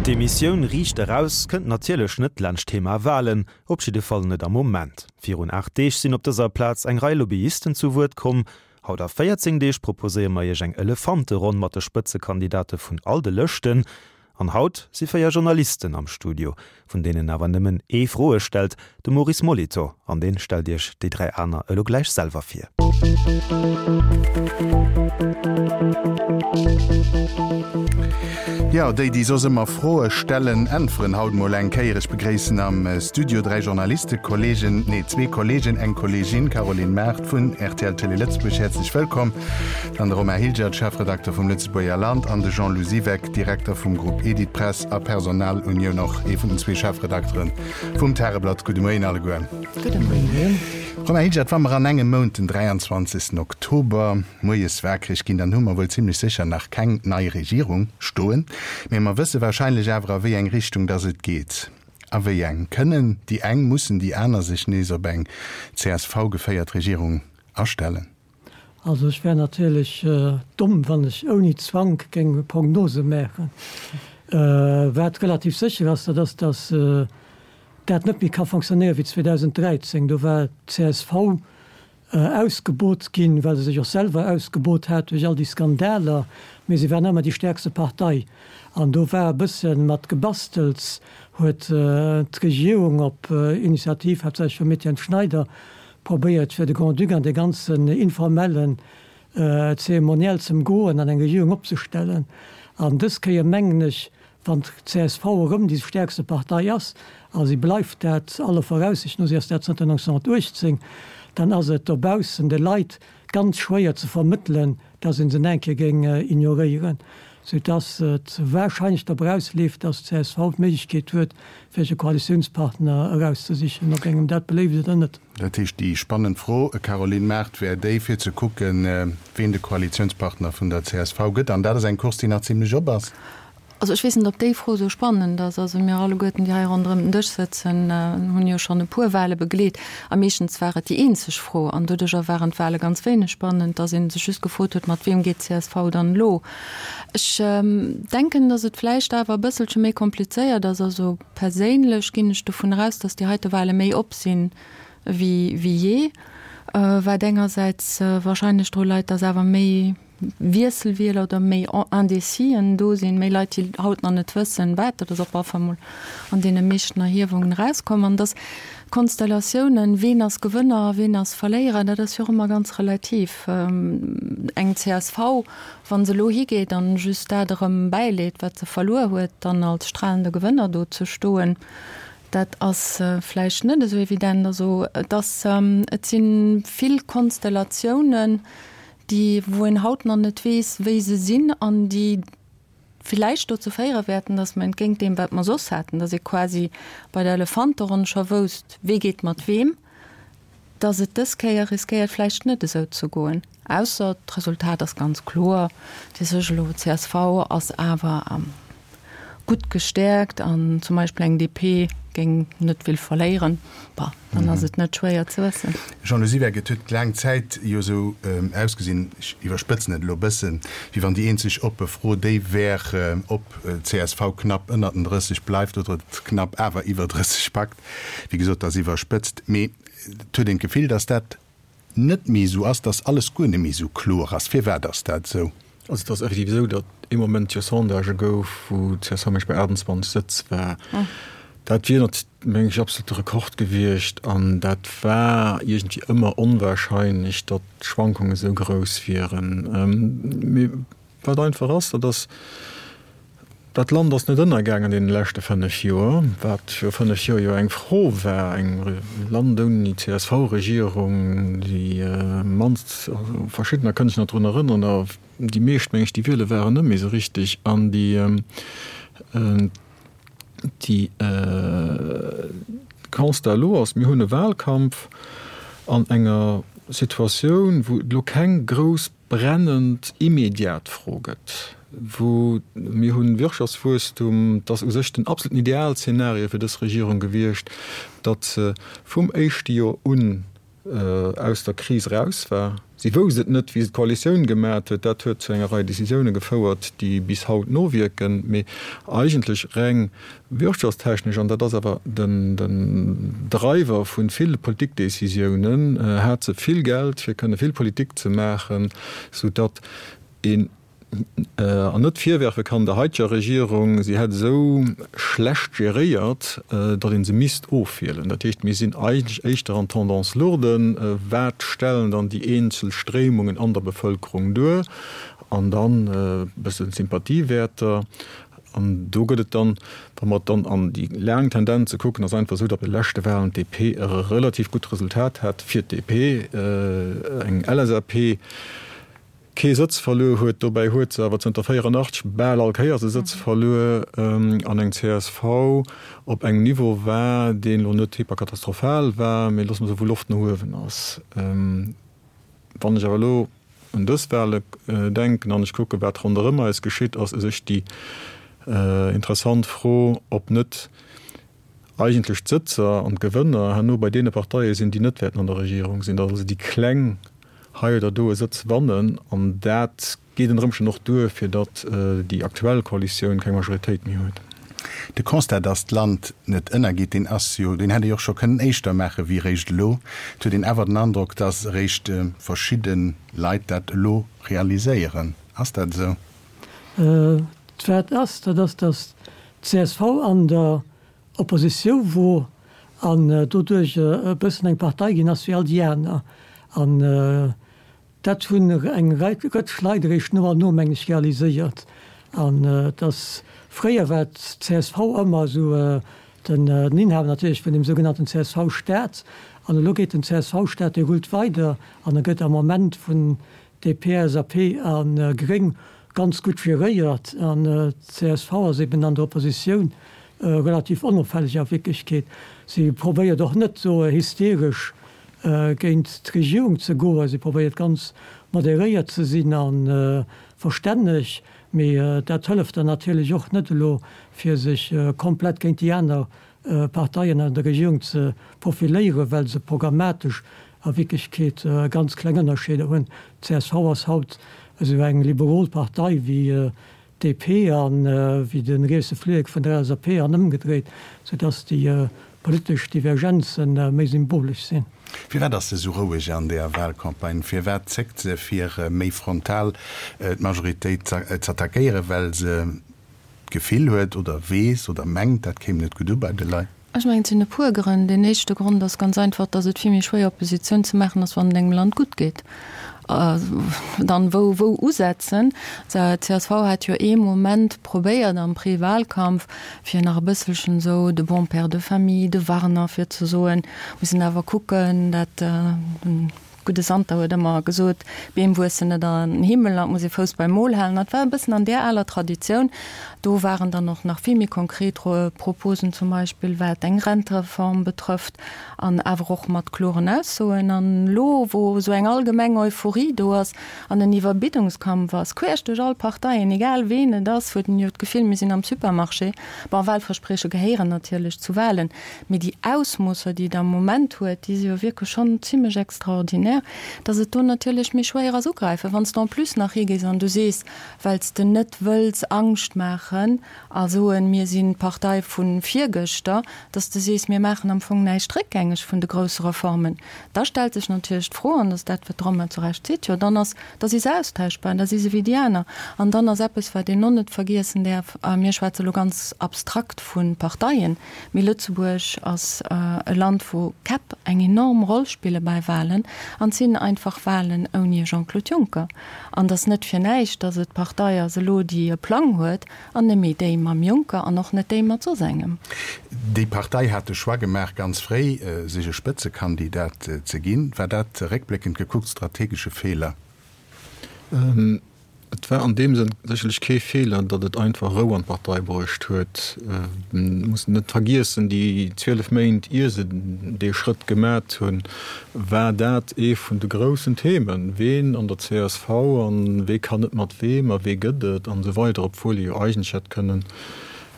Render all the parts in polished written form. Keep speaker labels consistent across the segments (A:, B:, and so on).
A: D'Emissioun Riicht Eraus kënnt natierlech net laanscht d'Thema Walen, op jidde Fall net am Moment. Virun 8 Deeg sinn op dëser Plaz eng Rei Lobbyisten zu Wuert komm. Haut a 14 Deeg proposéiere mer iech eng Elefanteronn mat de Spëtzekandidate vun all de Lëschten. An haut si 4 Journalisten am Studio, vun deenen awer nëmmen ee Froe stellt, de Maurice Molitor, an deen stellt iech déi 3 aner elo gläich selwer vir.
B: Jo, déi, déi soss ëmmer Froe stellen, äntweren haut mol eng Kéier. Ech begréissen am Studio 3 Journalistekollegen, nee, zwee Kollegen, eng Kollegin, Caroline Mart vun rtl Télé Lëtzebuerg, häerzlech wëllkomm, dann de Romain Hilgert, Chefredakter vum Lëtzebuerger Land, an de Jean-Lou Siweck, Direkter vum Grupp Editpress a Personalunioun och ee vun den zwee Chefredakteren vum Tageblatt. Gudde Moien alleguer.
C: Gudde Moien.
B: Romain Hilgert, wa mer an engem Mount, den 23. Oktober, moies wakereg ginn, dann hu mer wuel zimlech sécher nach keng nei Regierung stoen, mee mer wësse wahrscheinlech awer a wéi eng Richtung dass et geet. A wéi eng? Kënnen déi eng, mussen déi aner sech nees op eng CSV-geféiert Regierung astellen?
C: Also ech wär natierlech domm, wann ech ouni Zwank géing Prognose maachen. Wat relativ sécher ass, dat ass, datt dat net méi ka fonctionnéieren wéi 2013. Do war d'CSV ausgebot ginn, well se sech och selwer ausgebot hat duerch all déi Skandaler, mee se war nach ëmmer déi stäerkste Partei. An do war e bësse mat Gebastels, huet d'Regierung op Initiativ haaptsächlech vum Etienne Schneider probéiert fir de Grand-Duc an dee ganzen informellen Zeremoniell z'ëmgoen an eng Regierung opzestellen. An dës Kéier mengen ech, wann d'CSV erëm déi stäerkste Partei ass, a si bleift dat aller Voraussicht no, si ass dat zënter 1918, dann ass et dobaussen de Leit ganz schwéier ze vermëttelen, dass ee se eng Kéier géing ignoréieren, soudass et wahrscheinlech drop erausleeft, dass d'CSV d'Méiglechkeet huet, fir sech e Koalitiounspartner erauszesichen, ob engem dat beléift oder net.
B: Dat heescht, déi spannend Fro, Caroline Mart, wär déi, fir ze kucken, ween de Koalitiounspartner vun der csv gëtt. An dat ass eng Course, déi nach zimlech op ass.
D: Also ech weess net, ob déi Fro esou spannend ass. Also mir alleguerten, déi hei ronderëm den Dësch sëtzen, hunn jo schonn e puer Wahle begleet. A meeschtens war et déi eenzeg Fro. An doduercher waren d'Wahle ganz wéineg spannend, dass ee sech just gefrot huet, mat weem geet d'CSV dann elo? Ech denken, dass et vläicht awer e bësselche méi komplizéiert ass. Also perséinlech ginn ech dovun eraus, dass déi heite Wahle méi op sinn wéi jee, wat engersäits wahrscheinlech dru leit, dass awer méi, Wiesselwieler oder méi Indécisen do sinn, méi Leit, déi haut nach net wëssen, wat dat ass, op alle Fall mol an deene meeschten Erhiewungen erauskomm. An dass d'Konstellatiounen, ween ass Gewënner a ween ass Verléierer, dat ass jo och ëmmer ganz relativ. Eng csv, wa se elo higeet an just dat erëm bäileet, wat se verluer huet, dann als stralende Gewënner do ze stoen, dat ass vläicht net esou evident. Also et ass, et si vill Konstellatiounen, déi wou een haut nach net weess, wéi se sinn an déi villäicht dozou féiere wäerten, datt mer entgéint deem, wat mer soss haten, datt ee quasi bei der Elefanteronn scho wousst, wee geet mat weem, datt et dës Kéier riskéiert vläicht net esou ze goen. Ausser d'Resultat ass ganz kloer, Dir sech elo, csv ass awer gutt gestäerkt an zum Beispill eng DP géing net vill verléieren, bah, dann ass et net schwéier ze wëssen.
B: Jean-Lou Siweck, Et huet laang Zäit jo esou ausgesinn, ech iwwerspëtzen et elo e bëssen, wéi wann déi eenzeg oppe Fro déi wär, ob csv knapp ënnert den 30 bleift oder et knapp awer iwwer 30 packt. Wéi gesot, dat ass iwwerspëtzt, mee et huet een d'Gefill, datt dat net méi esou ass, dass alles guer net méi esou kloer ass. Firwat ass dat esou?
E: Also et ass effektiv esou, datt ee Moment jo Sondagë gouf, wou csv meng ech bei 28 Sëtz war. Dat wier nat meng ech absolute Rekord gewiescht an dat war iergendwéi ëmmer onwahrscheinlech, datt d'Schwankungen esou grouss wieren. Mee Wat einfach ass, dat ass, dat Land ass net ënnergaangen an deene leschte 5 Joer, wat viru 5 Joer jo eng Fro war, eng Land ouni CSV-Regierung, déi mannst, also verschiddener kënne sech nach drun erënneren, a déi meescht, meng ech, déi wiele waren net méi esou richtig an déi, déi Constat elo ass, mir hunn e Wahlkampf an enger Situatioun, wou et elo keng grouss brennend immediat Fro gëtt, wou mir hunn Wirtschaftswuesstum, et ass u sech den absoluten Idealszenario fir dës Regierung gewiescht, datt se vum éischte Joer un aus der Kris eraus war. Si wousst et net, wéi se d'Koalitioun gemat huet. Dat huet zu enger Rei Décisioune gefouert, déi bis haut nowierken. Mee eigentlech reng wirtschaftstechnesch, an dat ass awer den Driver vu ville Politikdécisiounen, hat se vill Geld, fir kënne vill Politik ze maachen, soudatt een an net virwerfe kann der heiteger Regierung, si hätt esou schlecht geréiert, datt ee se misst ofwielen. Dat heescht, mir sinn eigentlech éischter an Tendance lourde. Wat stellen dann déi eenzel Stréimungen an der Bevëlkerung duer? An dann e bësse Sympathiewäerter. An do gëtt et dann, wa mer dann an déi laang Tendenze kucken, ass einfach esou, datt bei de leschte Wahlen d'DP e relativ gutt Resultat hat fir d'DP, eng LSAP, kee Sëtz verluer huet. Dobäi huet se awer zënter 84 bal all Kéiers e Sëtz verluer an eng csv op engem Niveau war, deen elo net hyperkatastrophal war, mee loosse mer soen, wou Loft no uewen ass. Wann ech awer elo un dës Wale denken an ech kucken, wat ronderëm eis geschitt, ass u sech déi interessant Fro, ob net eigentlech d'Sëtzer an d'Gewënner herno bei deene Parteie sinn, déi net wäerten an der Regierung sinn, datt also déi Kleng hei oder do e Sëtz wannen. An dat geet ënner Ëmstänn och duer, fir datt déi aktuell Koalitioun keng Majoritéit méi huet.
B: De Constat, datt d'Land net ënnergeet, deen ass jo, deen hätt ee jo och scho kënnen éischter maache wéi eréischt elo. Et huet een awer den Androck, datt eréischt verschidde Leit dat elo realiséieren. Ass dat esou?
C: Wat ass, dat ass, datt d'CSV an der Oppositioun wor an doduerch e bëssen eng Partei ginn ass wéi all déi aner. An dat hunn eng Rëtsch Leit eréischt no an no, mengen ech, realiséiert. An et ass, fréier war d'CSV ëmmer esou den Inhaber natierlech vun deem sougenannten CSV-Staat. An elo geet den CSV-Staat, dee rullt weider an e gëtt am Moment vun DP, LSAP a Gréng ganz gutt geréiert an csv ass eben an der Oppositioun relativ onopfälleg a Wierklechkeet. Si probéiert och net esou hysteresch géint d'Regierung ze goen, si probéiert ganz moderéiert ze sinn a verstänneg, mee dat hëlleft der natierlech och net elo fir sech komplett géint déi aner Parteien an der Regierung ze profiléieren, well se programmatesch a Wierklechkeet ganz kleng Ënnerscheeder hunn. D'CSV ass haut esou eng liberol Partei wéi d'DP a wéi de rietse Flillek vun der LSAP an ëmgedréit, soudass déi politesch Divergenze méi symbolesch sinn.
B: Firwat ass se esou roueg an der Wahlcampagne? Firwat zéckt se fir méi frontal d'Majoritéit z'attackéieren? Well se d'Gefill huet oder weess oder mengt, dat kéim net gutt u bei de Leit?
D: Ech mengen, et sinn e puer Grënn. Deen éischte Grond ass ganz einfach, datt et vill méi schwéier Oppositioun ze maachen ass, wann et engem Land gutt geet. Dann, wou, wou usetzen? D'CSV hat jo ee Moment probéiert am Prewahlkampf, fir nach e bësselchen esou de bon père de famille, de Warner, fir ze soen, mir mussen awer kucken, dat, Gudde Santer huet ëmmer gesot, Beem wuessen net an den Himmel an et muss ee Fouss beim Mol halen. Dat war e bëssen an där aler Traditioun. Do waren dann och nach vill méi konkret Proposen, zum Beispill wat eng Rentereform betrëfft, an awer och mat kloren Aussoen. An elo, wou esou eng allgemeng Euphorie do ass an en Iwwerbiddungskampf ass, queesch duerch all Parteien, egal ween et ass, huet en jo d'Gefill, mir sinn am Supermarché. Bon, Wahlversprieche gehéieren natierlech zu Wahlen, Mee déi Ausmoosser, déi et am Moment huet, déi si jo wierklech schonn zimlech extraordinär, dass et do natierlech méi schwéier ass ugräifen. Wann s de en plus nach higees an du sees, well s de net wëlls Angscht maachen a soen, mir sinn d'Partei vu virgëschter, dass de sees, mir maachen am Fong näischt réckgängeg vun de grousse Reformen, da stellt sech natierlech d'Fro, an dat ass dat, wat d'Romain zu Recht seet, jo dann ass, da si se austauschbar, da si se wéi déi aner. An dann ass eppes, wat een och net vergiessen däerf, a mir schwätze lo ganz abstrakt vu Parteien, Mee Lëtzebuerg ass e Land, wou Käpp eng enorm Roll spille bei Wahlen. An et sinn einfach Wahlen ouni e Jean-Claude Juncker. An et ass net fir näischt, datt et d'Partei ass elo, déi e Plang huet, an net méi déi mam Juncker an och net déi mat soss engem.
B: Déi Partei hat de Choix gemaach, ganz fréi sech e Spëtzekandidat ze ginn. War dat, réckbléckend gekuckt, strategesch e Feeler?
E: Et war an deem Sënn sécherlech kee Feeler, datt et einfach Rou an d'Partei bruecht huet. Mir mussen net vergiessen, déi 12 Méint ier se dee Schrëtt gemat hunn, war dat ee vun de groussen Themen, ween an der csv an wee kann net mat weem a wee gëtt et an esou weider, obwuel ee jo eigentlech hätt kënnen.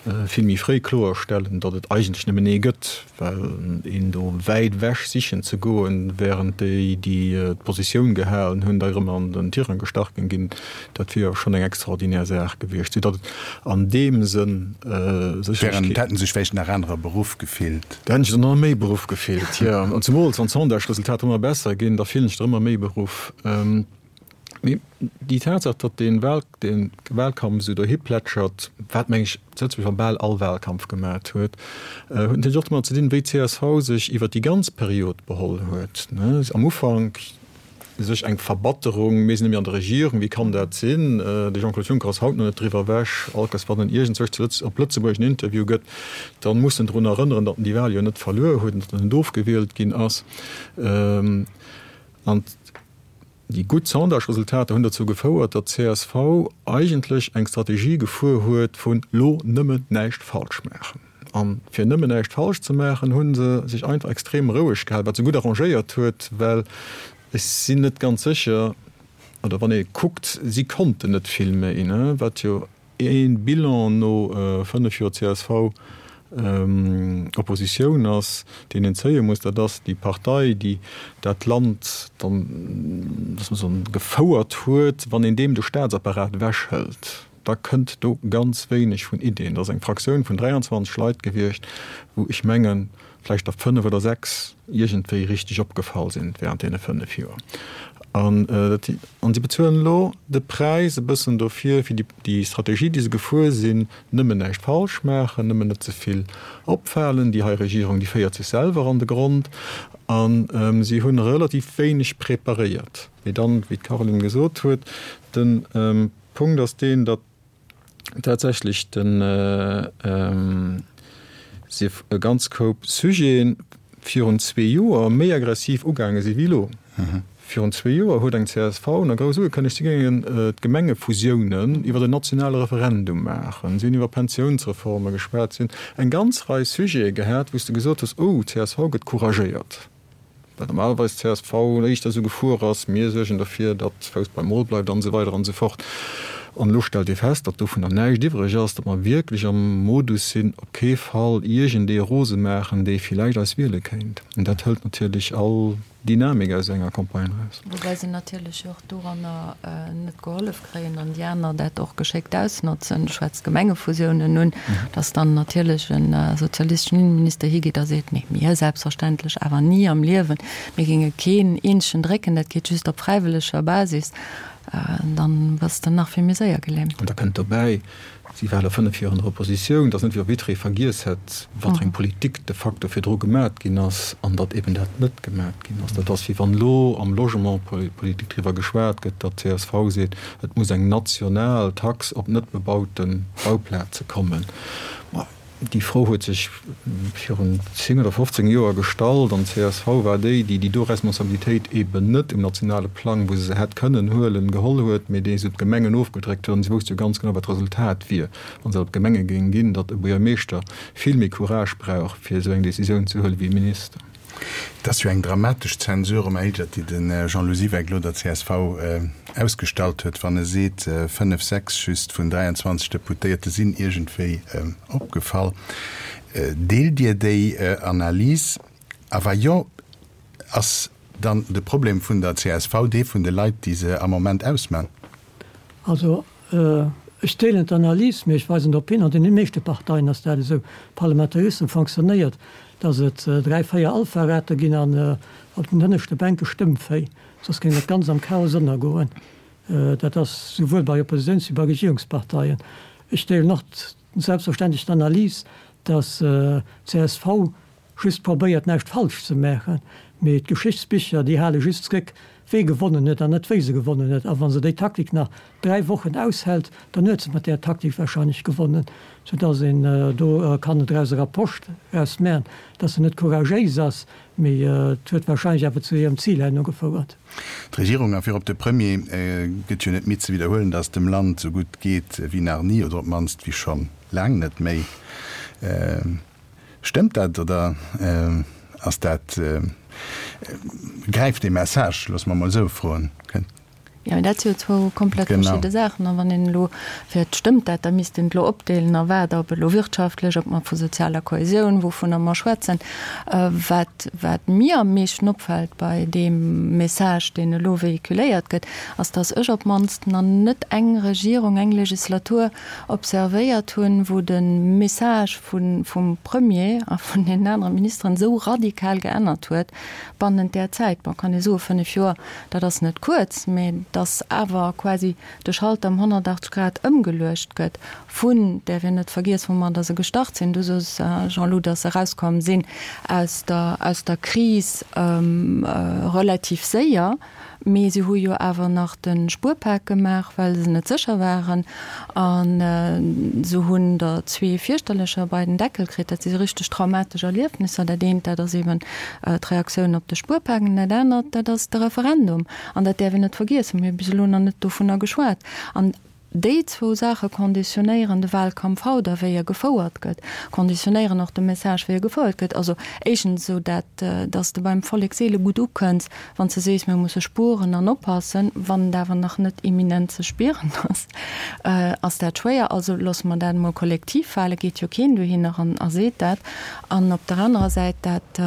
E: vill méi fréi kloerstellen, datt et eigentlech nëmmen ee gëtt, well een do wäit ewech sichen ze goen, während déi, déi d'Positioun gehalen hunn, da erëm an den Tirang gestach géing ginn, dat wier jo schonn eng extraordinär Saach gewiescht, soudatt et an deem Sënn
B: sécherlech kee. Da hätte sech vläicht nach anerer beruff gefillt.
E: Da hätten sech der nach méi beruff gefillt, jo. An zemools wann d'Sondage-Resultater ëmmer besser ginn, da fillen sech der ëmmer méi beruff. Mee déi Tatsaach, datt dee Wahl, dee Wahlkampf esou dohi plätschert, wat meng ech Lëtzebuerg a bal all Wahlkampf gemat huet, huet natierlech och domat ze dinn, wéi d'CSV sech iwwer déi ganz Period beholl huet. Am Ufank sech eng Verbatterung, mir sinn net méi an der Regierung, wéi kann dat sinn? De Jean-Claude Juncker ass haut nach net driwwer ewech. All Kéiers wann en iergendzwousch zu Lëtz, op Lëtzebuerg en Interview gëtt, da muss en drun erënneren, datt en déi Wahl jo net verluer huet an datt en net ofgewielt ginn ass. An déi gutt Sondage-Resultater hunn dozou gefouert, datt csv eigentlech eng Strategie gefuer huet vun lo nëmmen näischt falsch maachen. A fir nëmmen näischt falsch ze maachen, hu se sech einfach extrem roueg gehalen, wat se gutt arrangéiert huet, well ech sinn net ganz sécher, oder wann ee kuckt, si konnten net vill méi, wat jo Ee Bilan no 5 Joer CSV-Oppositioun ass, deen een zéie muss, dat ass déi Partei, déi dat Land dann, lass mer soen, gefouert huet. Wann een deem de Staatsapparat ewechhëlt, da kënnt do ganz wéineg vun Ideen. Dat ass eng Fraktioun vun 23 Leit gewiescht, wou ech mengen, vläicht der 5 oder 6 iergendwéi richteg opgefall sinn während deene 5 Joer. An an si bezuelen elo de Präis e bëssen dofir, fir déi Strategie, déi se gefuer sinn, nëmmen näischt falsch maachen, nëmmen net ze vill opfalen. Déi hei Regierung, déi féiert sech selwer an de Grond. A si hunn relativ wéineg preparéiert. Mee dann, wéi d'Caroline gesot huet, de Punkt ass deen, datt tatsächlech den sief e ganz Koup Sujeten virun zwee Joer méi aggressiv ugaange si wéi elo. Virun zwee Joer huet eng csv nach grouss ugekënnegt, si géingen d'Gemengefusiounen iwwer en nationale Referendum maachen. Si hunn iwwer Pensiounsreforme geschwat. Si hunn eng ganz Rei Sujete gehat, wou s de gesot hues, oh, d'CSV gëtt couragéiert. Well normalerweis csv éischter esou gefuer ass, mir suergen derfir, datt Fouss beim Mol bleift an esou weider an esou fort. An elo stellt ee fest, datt dovunner näischt iwwreg ass, datt mer wierklech am Modus sinn, op kee Fall iergendee rose maachen, dee villäicht eis wiele kéint. An dat hëlt natierlech all Dynamik aus enger Campagne eraus.
D: Woubäi se natierlech och doranner net gehollef kréien an déi aner dat och geschéckt ausnotzen. Du schwätz d'Gemengefusiounen un, dass dann natierlech e sozialisteschen Innenminister higeet a seet, Nee, mir selbstverständlech awer ni am Liewen, mir géinge keen eenzegen drécken, dat geet just op fräiwëlleger Basis. Dann bass de nach vill méi séier gelähmt.
E: An da kënnt dobäi, Si war elo 5 Joer an der Oppositioun. Et ass net, wéi wa jidderee vergiess hätt, wat fir eng Politik de facto virdru gemat ginn ass an datt eben dat net gemat ginn ass. Dat ass, wéi wann elo am Logementspolitik driwwer geschwat gëtt, datt csv seet, et muss eng national Tax op net bebaute Bauplaze kommen. Ma déi Fro huet sech virun 10 oder 15 Joer gestallt an csv war déi, déi déi do Responsabilitéit eben net um nationale Plang, wou se se hätt kënnen huelen, geholl huet, mee déi se op d'Gemengen ofgedréckt huet. An si wousst jo ganz genau, wat d'Resultat wier, wa se op d'Gemenge géing ginn, datt e Buergermeeschter vill méi Courage brauch, fir esou eng Décisioun ze huelen, wéi e Minister.
B: Et ass jo eng dramatesch Zensur, Romain Hilgert, déi de Jean-Lou Siweck elo der csv ausgestallt huet, wann e seet, fënnef, sechs just vun 23 Deputéierte sinn iergendwéi opgefall. Deelt Dir déi Analys? A wa jo, ass dann de Problem vun der csv dee vun de Leit, déi se am Moment ausman?
C: Also ech deelen d'Analys, mee ech weisen drop hin, an deene meeschte Parteien ass dat esou, Parlamentarissem fonctionnéiert, datt et dräi, véier Alpha-Rate ginn an op den hënneschte Bänke Stëmmvéi, soss géing dat Ganzt am Chaos ënnergoen. Dat ass souwuel bei Oppositiouns wéi bei Regierungsparteien. Ech deelen och selbstverständlech d'Analys, datt csv just probéiert näischt falsch ze maachen, mee d'Geschichtsbicher déi hale just zréck wee gewonnen huet an net wéi se gewonnen huet. A wa se déi Taktik nach 3 Wochen aushält, dann huet se mat där Taktik wahrscheinlech gewonnen, sou dass een do kann draus e Rapproche draus maachen, dass se net couragéis ass, mee et huet wahrscheinlech awer zu hirem Zil herno gefouert.
B: D'Regierung a virop de Premier gëtt jo net midd ze widderhuelen, dass et dem Land sou gutt geet wéi nach ni oder op d'mannst wéi schonn laang net méi. Stëmmt dat oder ass dat, gräift dee Message, loosse mer emol esou froen?
D: Jo, mee dat si jo zwou komplett verschidde Saachen. A wann een elo, fir et stëmmt dat, da misst een et elo opdeelen a wat, ob elo wirtschaftlech, ob mer vu sozialer Kohäsioun, wouvunner mer schwätzen. Wat, wat mir am meeschten opfält bei deem Message, deen elo véhiculéiert gëtt, ass, datt ech op d'mannst nach net eng Regierung, eng Legislatur observéiert hunn, wou de Message vun, vum Premier a vun deenen anere Ministeren esou radikal geännert huet bannent där Zäit. Bon, kann ee soen, fënnef Joer, Dat ass net kuerz, mä dass awer quasi de Schalter ëm 180 Grad ëmgeluecht gëtt vun, däerf een net vergiessen, woumadder se gestart sinn, du sos, Jean-Lou, dass se erauskomm sinn aus der, aus der Kris relativ séier, mee se hu jo awer nach de Spuerpak gemaach, well se net sécher waren. A se hunn der zwee fierchterlecher bei den Deckel kritt. Dat si richteg traumatesch Erliefnisser. Dat eent, dat ass eeben d'Reaktioun op de Spuerpak, an dat anert, dat ass de Referendum. An dat däerf een net vergiessen. Mir hu bis elo nach net dovunner geschwat. An déi zwou Saache konditionéieren de Wahlkampf haut a wéi e gefouert gëtt, konditionéieren och de Message, wéi e gefouert gëtt. Also éischtens esou dat, dass de beim Vollek seele gutt ukënns, Wann s de sees, mir musse spueren an oppassen, wann et awer nach net imminent ze spieren ass, ass dat schwéier. Also loosse mer dat emol kollektiv fale, geet jo keen dohinner an a seet dat. An op der anerer Säit dat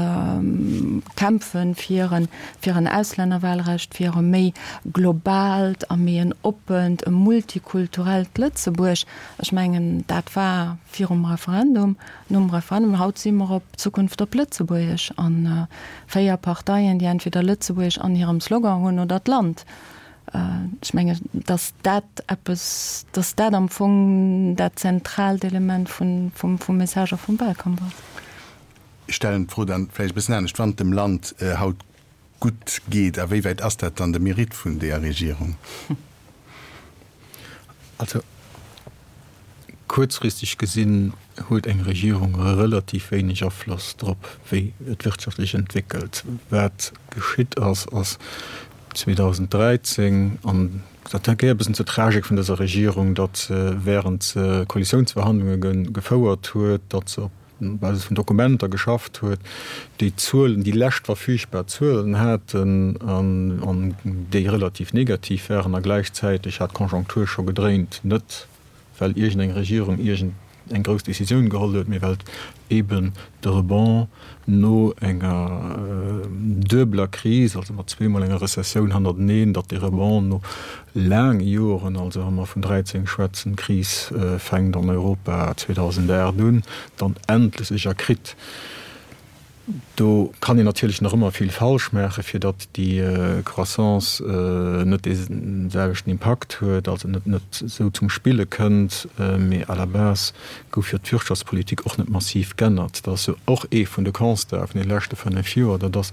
D: Kämpfe fir en, fir en Auslännerwahlrecht, fir e méi globaalt a méi en oppent, e multikulturellt Lëtzebuerg, ech mengen, dat war virum Referendum, nom Referendum. Haut si mer op Zukunft op Lëtzebuergesch an 4 Parteien, déi entweder Lëtzebuergesch an hirem Slogan hunn oder d'Land. Ech menge, datt dat eppes, datt dat am Fong dat zentraalt Element vun, vum, vum Message a vum Wahlkampf ass.
B: Ech stellen d'Fro dann vläicht e bëssen anescht, Wann et dem Land haut gutt geet, a wéi wäit ass dat dann de Mérite vun deeër Regierung?
E: Also kuerzfristeg gesinn huet eng Regierung relativ wéineg Afloss drop, wéi et wirtschaftlech entwéckelt. Wat geschitt ass, ass 2013, an dat gehéiert e bëssen zur Tragik vun dëser Regierung, datt se während se Koalitiounsverhandlunge gefouert huet, datt se op Basis vun Dokumenter geschafft huet, déi Zuelen, déi lescht verfügbar Zuelen haten an déi relativ negativ waren a gläichzäiteg hat d'Conjoncture scho gedréint, net well iergendeng Regierung iergend eng grouss Décisioun geholl huet, mee well eeben de Rebond no enger duebeler Kris, also mat zweemol enger Rezessioun hannerteneen, datt dee Rebond no laange Joren, also wa mer vun 13 schwätzen, d'Kris fänkt an Europa 2008 un, dann endlech sech erkritt. Do kann een natierlech nach ëmmer vill falsch maachen, fir datt déi Croissance net dee selwechten Impakt huet, also net net esou zum Spille kënnt. Mee à la base gouf jo d'Wirtschaftspolitik och net massiv g'ännert. Dat ass jo och ee vun de Constaten vun deene leschte 5 Joer, dat ass,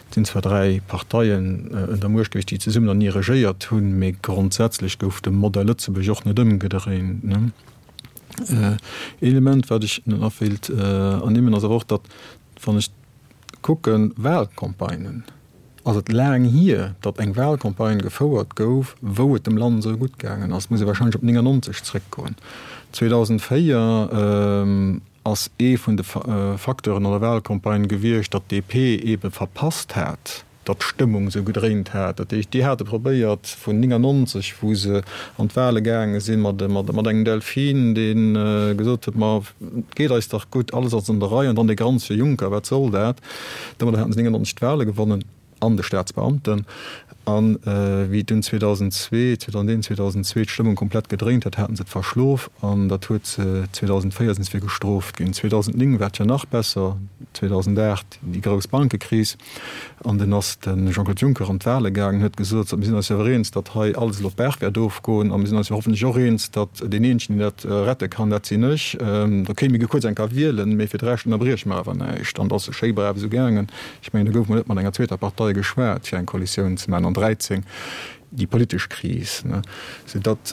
E: Et sinn zwar 3 Parteien un der Muecht gewiescht, déi zesummen an ni regéiert hunn, mee grondsätzlech gouf de Modell Lëtzebuerg och net ëmgedréint. Een Element, wat ech nach wéilt ernimmen, ass awer och, datt, wann ech kucken, Wahlcampagnen, ass et laang hier, datt eng Wahlcampagne gefouert gouf, wou et dem Land esou gutt gaangen ass. Et muss ee wahrscheinlech op 99 zréckgoen. 2004 ass ee vun de Facteuren an der Wahlcampagne gewiescht, datt d'DP eebe verpasst hat, datt d'Stëmmung esou gedréint hat. Dat heescht, déi hate probéiert vun 99, wou se an d'Wahle gaange sinn, mat engem Delfin, dee gesot huet, ma et geet eis dach gutt, alles ass an der Rei, an dann dee granzege Juncker, wat soll dat? Domadder haten se 99 d'Wahle gewonnen. an de Staatsbeamten. A wéi dunn 2002, 2001, 2002 d'Stëmmung komplett gedréint hat, haten se et verschlof an dat huet se 2004 sinn se fir gestrooft ginn. 2009 war et jo nach besser, 2008 déi grouss Bankekris an dunn ass de Jean-Claude Juncker an d'Wahle gaangen, huet gesot, mir sinn eis jo awer eens, datt hei alles elo d'Baach wäert ofgoen a mir sinn eis jo hoffentlech och eens, datt deen eenzegen, deen dat rette kann, dat sinn ech. Ok, mir gi kuerz eng Kéier wielen, mee fir de Rescht ënnerbrieche mer awer näischt. An et ass schéi brav esou gaangen. Ech mengen, do gouf mol net mat enger zweeter Partei geschwat, fir eng Koalitioun ze maachen an 13, déi politesch Kris, soudatt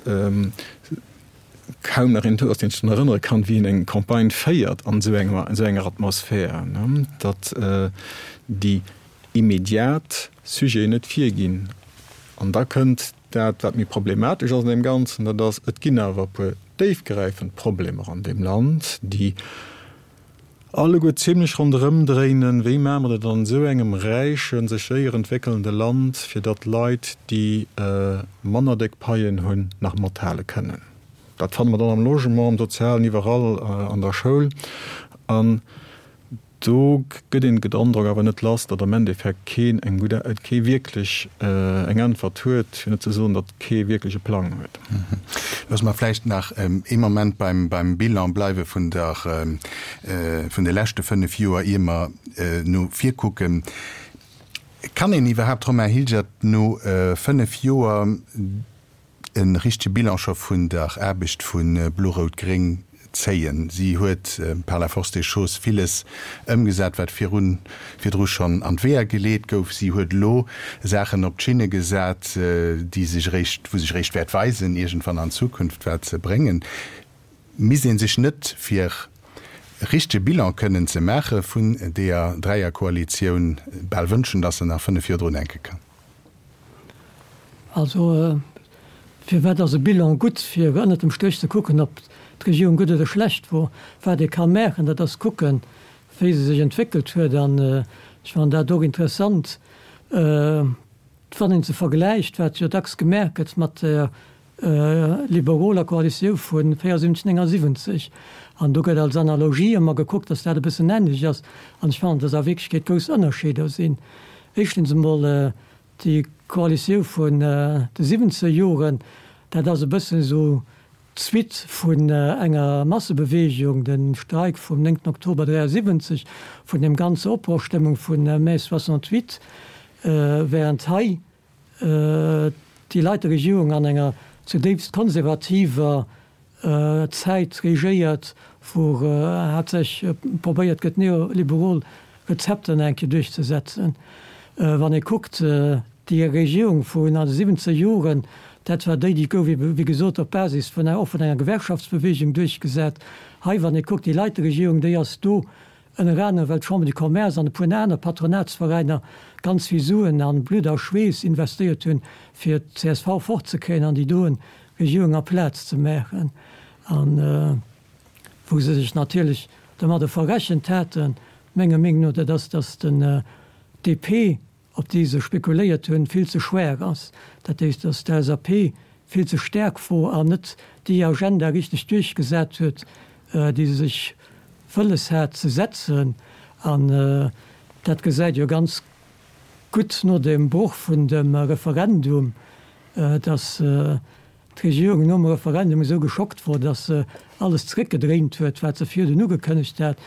E: kaum nach een do ass, deen sech drun erënnere kann, wéi een eng Campagne féiert an esou enger, esou enger Atmosphär, datt déi immediat Sujeten net virginn. An da kënnt dat, wat méi problematesch ass an deem Ganzen, dat ass, et ginn awer e puer déifgräifend Problemer an deem Land, déi. alleguer zimlech ronderëm dréinen, Wéi maache mer dat an esou engem räichen, sech séier entwéckelnde Land, fir datt Leit, déi manner déck Paien hunn, nach mathale kënnen? Dat fanne mer dann am Logement, am Sozialen, iwwerall, an der Schoul. An Do gëtt een den Androck awer net lass, datt am Endeffekt keen eng gutt, kee wierklech eng Äntwert huet, fir net ze soen, datt kee wierklech e Plang huet.
B: Loosse mer vläicht nach ee Moment beim Bilan bleiwe vun der, vun de leschte 5 Joer, ier mer no vir kucken. Kann een iwwerhaapt, Romain Hilgert, no 5 Joer e richtege Bilan scho vun der Aarbecht vu Blo-Rout-Gréng zéien. Si huet par la force des choses villes ëmgesat, wat virun, virdru schonn an d'Weeër geleet gouf. Si huet elo Saachen op d'Schinne gesat, déi sech eréischt, wou sech eréischt wäert weisen iergendwann an Zukunft, wat se bréngen. Misst ee sech net, fir e richtege Bilan kënnen ze maache vun deeër Dräierkoalitioun, bal wënschen, datt se nach 5 Joer drun hänke kann?
C: Also, firwat ass e Bilan gutt? Fir ënnert dem Stréch ze kucken, ob d'Regierung gutt oder schlecht wor. Wat ee ka maachen, dat ass kucken, wéi se sech entwéckelt huet. An ech fannen dat och interessant, wann een se vergläicht, wat jo dacks gemaach gëtt, mat der liberoler Koalitiou vu 74, 79. An do gëtt als Analogie ëmmer gekuckt, datt dat e bëssen änlech ass. An ech fannen, datt a Wierklechkeet grouss Ënnerscheeder sinn. Éischtens emol, déi Koalitiou vun de siwwenzeger Joren, dat ass e bëssen esou d'Suite vun enger Massebewegung, de Streik vum 9 Oktober 73, vun deem ganze Opbrochstëmmung vu Mai 68, während hei déi leit der Regierung an enger zudéifst konservativer Zäit regéiert, wou haaptsächlech probéiert gëtt, neoliberal Rezepter nach eng Kéier duerchzesetzen. Wann ee kuckt, déi Regierung vun an de siwwenzeger Joren, dat war déi, déi gouf ebe wéi gesot op Basis vun enger, och vun enger Gewerkschaftsbewegung duerchgesat. Hei, wann ee kuckt, déi Leiterregierung, déi ass do Ënner anerem well d'Chambre du Commerce an e puer aner Patronatsveräiner ganz vill Suen an Blutt a Schweess investéiert hunn, fir d'CSV fortzekréien an déi doen Regierung a Plaz ze maachen. An wou se sech natierlech domadder verrechent haten, menger Meenung no, dat ass, datt den DP, op déi se spekuléiert hunn, vill ze schwaach ass. Dat heescht, datt d'LSAP vill ze staark wor an net déi Agenda richteg duerchgesat huet, déi se sech wëlles hat ze setzen. An dat gesäit jo ganz gutt no dem Broch vun dem Referendum, datt d'Regierung nom Referendum esou geschockt wor, datt se alles zeréckgedréint huet, wat se virdun ugekënnegt hat.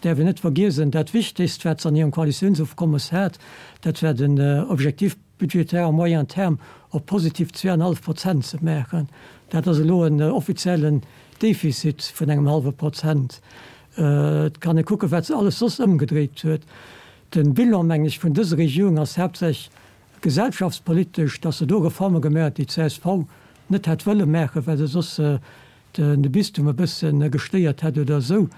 C: Däerf een net vergiesen, dat Wichtegst, wat se an hirem Koalitiounsofkommes hat, dat war den Objectif budgétaire à moyen terme op positiv zweeanenhallef Prozent ze maachen. Dat ass elo en offiziellen Defizit vun engem hallwe Prozent. Et kann ee kucken, wat se alles soss ëmgedréit huet. De Bilan, mengen ech, vun dëser Regierung ass haaptsächlech Gesellschaftspolitesch, datt se do Reforme gemaach huet, déi d'CSV net hätt wëlle maachen, well se soss de Bistum e bësse gestéiert hätt oder esou.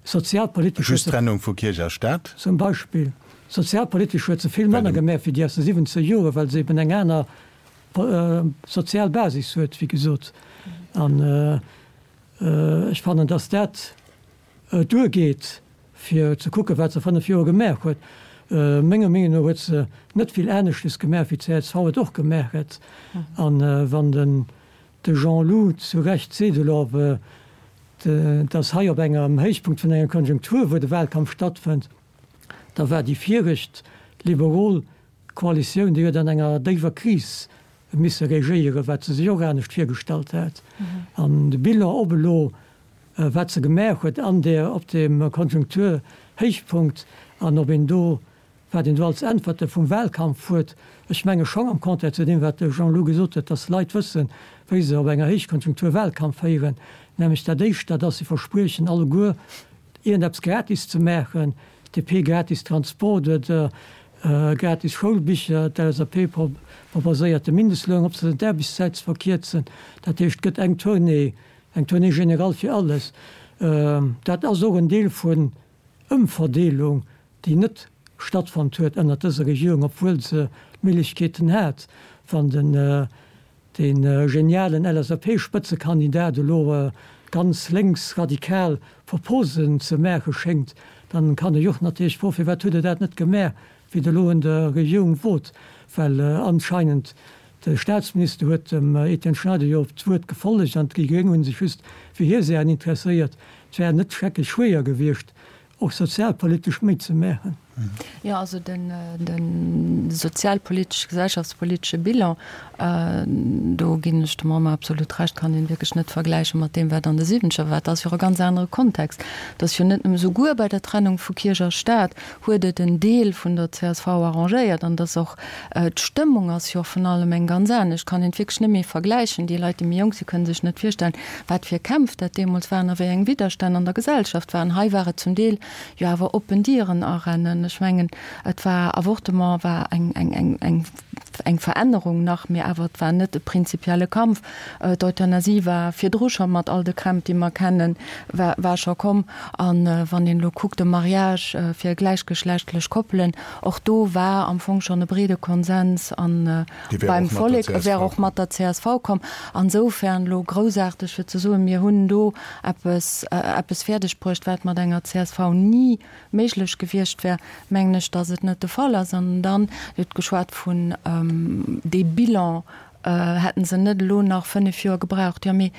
C: Sozialpolitesch huet
B: se. Just d'Trennung vu Kierch a Staat.
C: Zum Beispill. Sozialpolitesch huet se vill manner gemaach wéi déi aus de siwwenzeger Joren, well se eben eng aner sozial Basis huet, wéi gesot. An ech fannen, datt dat duergeet, fir ze kucken, wat se a 5 Joer gemaach huet. Menger Meenung no huet se net vill aneschtes gemaach, wéi d'CSV et och gemaach hätt. A wann den de Jean-Lou zu Recht seet elo, dass hei op engem Héichpunkt vun enger Konjunktur, wou de Wahlkampf stattfënnt, da war déi viregt liberol Koalitioun, déi huet an enger déiwer Kris misse regéieren, wat se sech och anescht virgestallt hat. An de Bilan, ob elo wat se gemaach huet an där, op deem Konjunkturhéichpunkt an ob een do, wat een do als Äntwerte vum Wahlkampf huet, ech menge schonn am Contraire zu deem, wat de Jean-Lou gesot huet, dass Leit wëssen, wéi se op enger Héichkonjunktur Wahlkampf féieren, nämlech dat éischt, dat ass, se verspriechen alleguer iergendeppes gratis ze maachen, DP gratis Transport oder gratis Schoulbicher, d'LSAP proposéiert de Mindestloun opzesetzen, d'Aarbechtszäit ze verkierzen, dat heescht, et gëtt eng Tournée Eng Tournée générale fir alles. Dat ass och en Deel vun Ëmverdeelung, déi net stattfonnt huet ënnert dëser Regierung, obwuel se d'Méiglechkeeten hat. Wann den dee genialen LSAP-Spëtzekandidat elo ganz lénks radikal Proposen ze maache schéngt, Dann kann ech och natierlech froen, firwat hutt Der dat net gemaach, wéi Der elo un der Regierung wot? Well anscheinend de Statsminister huet dem Etienne Schneider jo op d'Wuert gefollegt an déi Gréng hu sech just fir hir Saachen interesséiert. Et wär net schrecklech schwéier gewiescht, och sozialpolitesch méi ze maachen.
D: Jo, also de sozialpolitesch, gesellschaftspolitesche Bilan, do ginn ech dem Romain absolut Recht, kann een wierklech net vergläiche mat deem, wat an de Siwwenzeger war. Dat ass jo och e ganz anere Kontext. Et ass jo net nëmme, souguer bei der Trennung vu Kierch a Staat huet et en Deel vun der csv arrangéiert an et ass och, d'Stëmmung ass jo och vun allem eng ganz anescht, kann een wierklech net méi vergläichen. Déi Leit, déi méi jonk sinn, kënne sech net virstellen, wat fir Kämpf dat deemools waren a wéi eng Widderstänn an der Gesellschaft waren. Hei war et zum Deel jo awer oppen Dieren arennen. Ech mengen, et war, Avortement war eng, eng, eng, eng, eng Verännerung nach, mee awer et war net e prinzipielle Kampf. D'Euthanasie war virdru scho mat all de Krämp, déi mer kennen, war, war scho komm. A wann een elo kuckt, de Mariage fir gläichgeschlechtlech Koppelen, och do war am Fong schonn e breede Konsens an beim Vollek, e wär och mat der csv komm. Ansoufern elo groussaarteg fir ze soen, mir hunn do eppes, eppes fäerdeg bruecht, wat mat enger csv ni méiglech gewiescht wär, mengen ech, datt et net de Fall ass. An dann, Dir hutt geschwat vun dee Bilan, hätten se net elo nach 5 Joer gebraucht. Jo, mee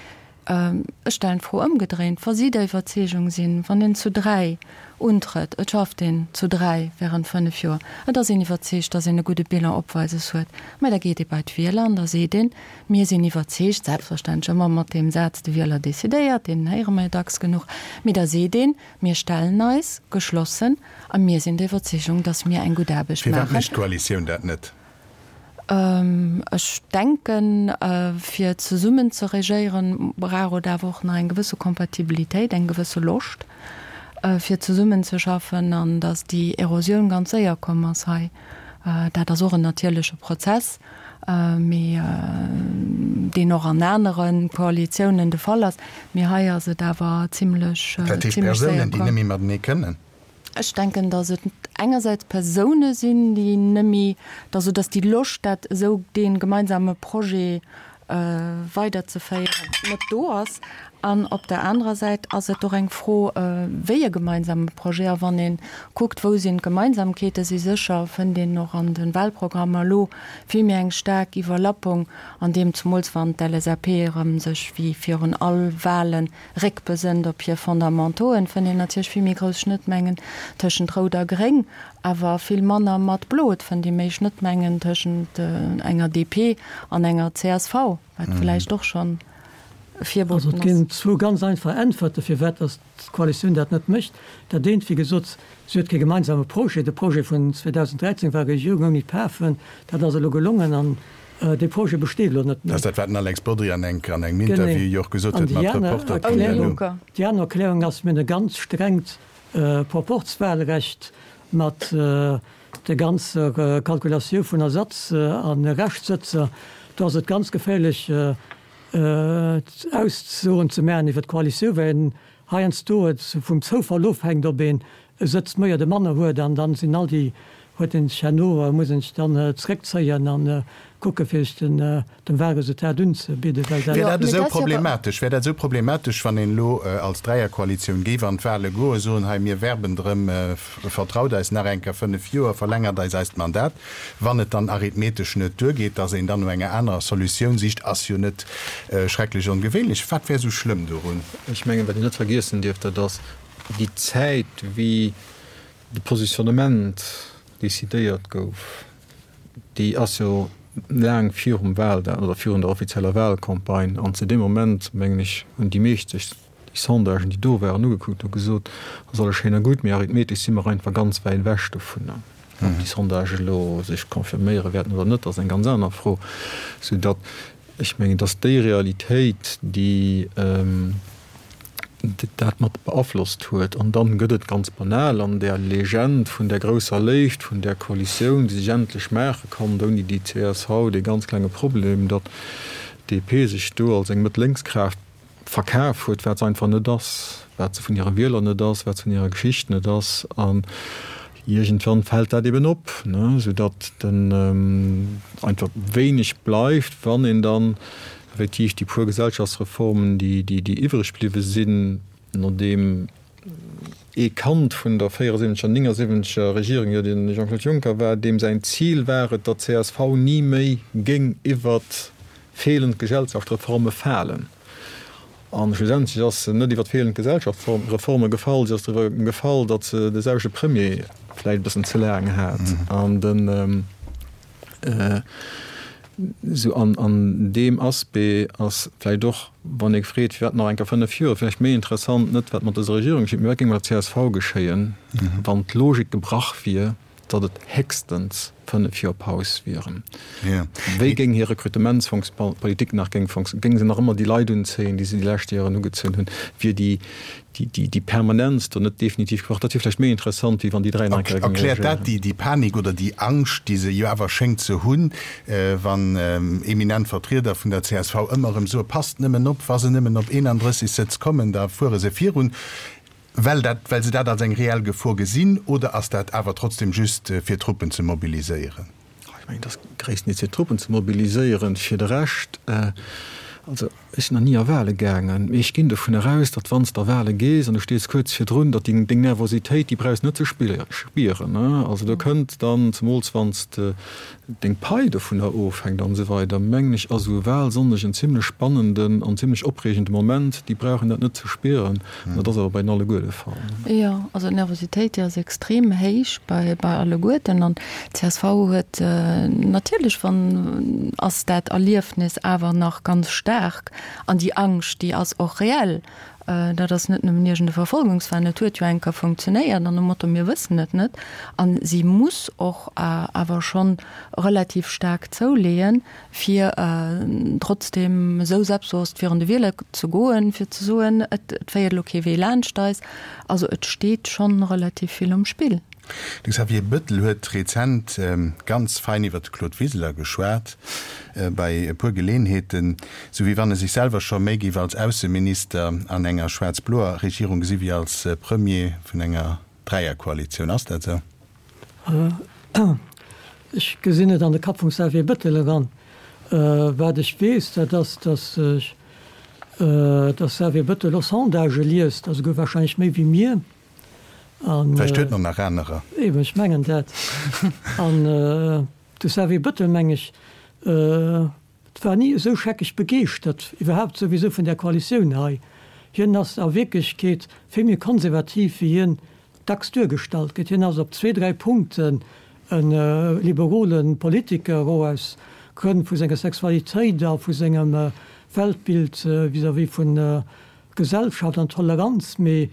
D: ech stellen d'Fro ëmgedréint, Wa si der Iwwerzeegung sinn, wann een zu 3 untrëtt, et schafft een zu 3 während 5 Joer, et ass een iwwerzeegt, datt een e gudde Bilan opweises huet, mä da geet ee bei d'Wieler an da seet een, Mir sinn iwwerzeegt, selbstverständlech ëmmer mat deem Saz, de Wieler decidéiert, deen héiere mer jo dacks genuch, mee da seet een, mir stellen eis geschlossen a mir sinn der Iwwerzeegung, datt mir eng gutt Aarbecht
B: maachen. Firwat mécht d'Koalitioun dat net?
D: Ech denken, fir zesummen ze regéieren, brauch et awer och nach eng gewësse Kompatibilitéit, eng gewësse Loscht, fir zesummenzeschaffen, an datt déi Erosioun ganz séier komm ass hei, dat ass och en natierleche Prozess, mee deen och an anere Koalitiounen de Fall ass. Mee hei ass et awer zimlech,
B: zimlech séier komm. Dat heescht Persounen, déi net méi matenee kënnen?
D: Ech denken, datt et engersäits Persoune sinn, déi nëmme, also datt déi Loscht, dat esou dee gemeinsame Projet weiderzeféieren, net do ass. An op der anerer Säit ass et och eng Fro, wéi e gemeinsame Projet. A wann ee kuckt, wou sinn d'Gemeinsamkeete, si sécher fënnt een och an de Wahlprogrammer elo vill méi eng staark Iwwerlappung an deem, zemools wann d'LSAP erëm sech wéi virun all Wahlen Réckbesënnt op hir Fondamentoen, fënnt een natierlech vill méi grouss Schnëttmengen tëschent Rout a Gréng, awer vill manner mat Blo. Et fënnt ee méi Schnëttmengen tëschent enger DP an enger csv, wat vläicht och schonn e
C: Virboten ass. Also et ginn zwou ganz einfach Äntwerte firwat datt d'Koalitioun dat net mécht. Dat eent, wéi gesot, si huet kee gemeinsame Projet. De Projet vun 2013 war Regierung ouni Pafen. Dat ass elo gelongen an Dee Projet besteet elo net
B: méi. Dat ass dat, wat den Alex Bodry an engem Interview jo och gesot huet mat Reporter
C: Punkt LU. Déi aner Erklärung ass, mir hunn e ganz strengt Proporzwahlrecht mat der ganzer Kalkulatioun vun Ersatz a Reschtsëtzer. Do ass et ganz geféierlech, Aussoen ze maachen iwwer d'Koalitioun, well een heiansdo et vum Zoufall ofhänkt, ob een e Sëtz méi oder manner huet an dann sinn all déi, huet een sech herno, muss een sech dann zréckzéien an kucke fir sech den dem Wahlresultat unzebidden,
B: well dat. Wär dat esou problematesch, wär dat esou problematesch, wann een elo als Dräierkoalitioun géif an d'Wahle goen, soen, hei mir werben drëm, vertraut eis nach eng Kéier 5 Joer, verlängert eis eist Mandat, wann et dann arithmetesch net duergeet, datt een dann no enger anerer Solutioun sicht, ass jo net schrecklech ongewéinlech. Wat wär esou schlëmm dorun?
E: Ech mengen, wat een net vergiessen dierf, dat ass, Déi Zäit, wéi de Positionnement decidéiert gouf, déi ass jo laang virum Wahldag oder virun der offizieller Wahlcampagne. An zu deem Moment, mengen ech, hunn déi meescht sech déi Sondagen, déi do waren, ugekuckt a gesot, ass alles schéin a gutt, mee arithmetesch si mer einfach ganz wäit ewech dovunner. Ob déi Sondage elo sech confirméiere wäerten oder net, ass eng ganz aner Fro. Soudatt ech mengen, datt déi Realitéit, déi dat mat beaflosst huet. An dann gëtt et ganz banal an där Legend vun där grousser Léift, vun där Koalitioun, déi sech endlech maache konnt ouni déi csv, dee ganz klenge Problem, datt d'DP sech do als eng Mëtt-Lénks-Kraaft verkaf huet, wat se einfach net ass, wat se vun hire Wieler net ass, wat se vun hirer Geschicht net ass. An iergendwann fält dat eben op, soudatt dann einfach wéineg bleift, wann een dann Effektiv, déi puer Gesellschaftsreformen, déi, déi, déi iwwreg bliwwe sinn, nodeem. Ee Kand vun der 74 er, 79 er Regierung jo de Jean-Claude Juncker war, deem säin Zil war et, datt csv ni méi géing iwwert feelend Gesellschaftsreforme falen. A schlussendlech ass se net iwwert feelend Gesellschaftsreforme gefall, si ass driwwer gefall, datt se de selwechte Premier vläicht e bëssen ze laang hat. An den. Sou an an deem Aspect ass vläicht och, wann ee freet, firwat nach eng Kéier 5 Joer, vläicht méi interessant, net wat mat dëser Regierung geschitt, mee wat géing mat der csv geschéien, wann d'Logik gebrach wier, datt et héchstens 5 Joer Paus wieren. Wéi géing hir Rekrutementspolitik nach géing funktionieren? Géing se nach ëmmer déi Leit unzéien, déi se déi lescht Joren ugezunn hunn? Wier déi déi Permanenz do net definitiv gebraucht? Dat wier vläicht méi interessant, wéi wann déi 3 nach eng Kéier géinge
B: Erkläert dat
E: regéieren.
B: déi Panik oder déi Angscht, déi se jo awer schéngt ze hunn, wann eminent Vertrieder vun der csv ëmmer erëm soe, Passt nëmmen op, wa se nëmmen op 31 Sëtz kommen, da fuere se virun, well dat, well se dat als eng reell Gefor gesinn? Oder ass dat awer trotzdem just, fir Truppen ze mobiliséieren?
E: Ech mengen, et ass gréisstendeels fir d'Truppen ze mobiliséieren. Fir de Rescht, also ech sinn nach ni a Wahle gaangen, mee ech ginn dovun eraus, datt wann s de a Wahle gees an du stees kuerz virdrun, datt deng Nervositéit, déi brauchs de net ze spieren. Also do kënnt dann, zemools wann s de deng Pai dovunner ofhänkt an esou weider, mengen ech, ass esou e Wahlsonndeg en zimlech spannenden an zimlech opreegende Moment. Déi brauchen dat net ze spieren. Dat ass awer bei den alleguer de Fall.
D: Jo, also d'Nervositéit, déi ass extrem héich bei bei alleguerten. An d'CSV huet natierlech, wann ass dat Erliefnis awer nach ganz staark. An déi Angscht, déi ass och reell. Dat ass net nëmmen iergend e Verfolgungswahn, et huet jo eng Kéier funktionéiert an nom Motto, mir wëssen et net. A si muss och awer schonn relativ staark zouleeën, fir trotzdeem esou selbstbewosst virun de Wieler ze goen, fir ze soen, et féiert elo kee Wee laanscht eis. Also et steet schonn relativ vill um Spill.
B: De Xavier Bettel huet rezent ganz fein iwwer de Claude Wiseler geschwat, bei e puer Geleenheeten, sou wéi wann e sech selwer scho méi géif als Ausseminister an enger schwaarz-bloer Regierung gesi wéi als Premier vun enger Dräierkoalitioun. Ass dat esou?
C: Ech gesinn net an de Kapp vum Xavier Bettel eran. Wat ech weess, dat ass, datt ech, datt Xavier Bettel och Sondagë liest, a souguer wahrscheinlech méi wéi mir.
B: An. Vläicht huet en och nach anerer.
C: Eben, ech mengen dat. An de Xavier Bettel, meng ech, war ni esou scheckeg begeeschtert iwwerhaapt souwisou vun där Koalitioun hei. Hien ass a Wierklechkeet vill méi konservativ wéi hien dacks duergestallt gëtt. Hien ass op zwee, dräi Punkten e liberole Politiker, och aus Grënn vu senger Sexualitéit a vu sengem Weltbild vis-à-vis vun Gesellschaft an Toleranz, mee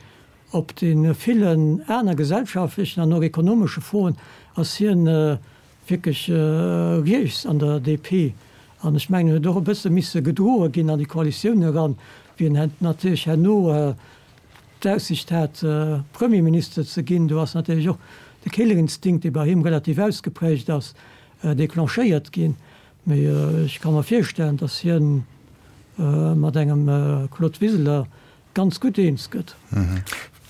C: op de villen aner gesellschaftlechen an och ekonomesche Froen ass hien wierklech riets an der DP. An ech mengen, en huet och e bësse misse gedroe ginn an déi Koalitioun eran, wéi en natierlech herno d'Aussicht hat, Premierminister ze ginn. Do ass natierlech och de Killerinstinkt, dee bei him relativ ausgeprägt ass, declenchéiert ginn. Mee ech ka mer virstellen, datt hie mat engem Claude Wiseler ganz gutt eens gëtt.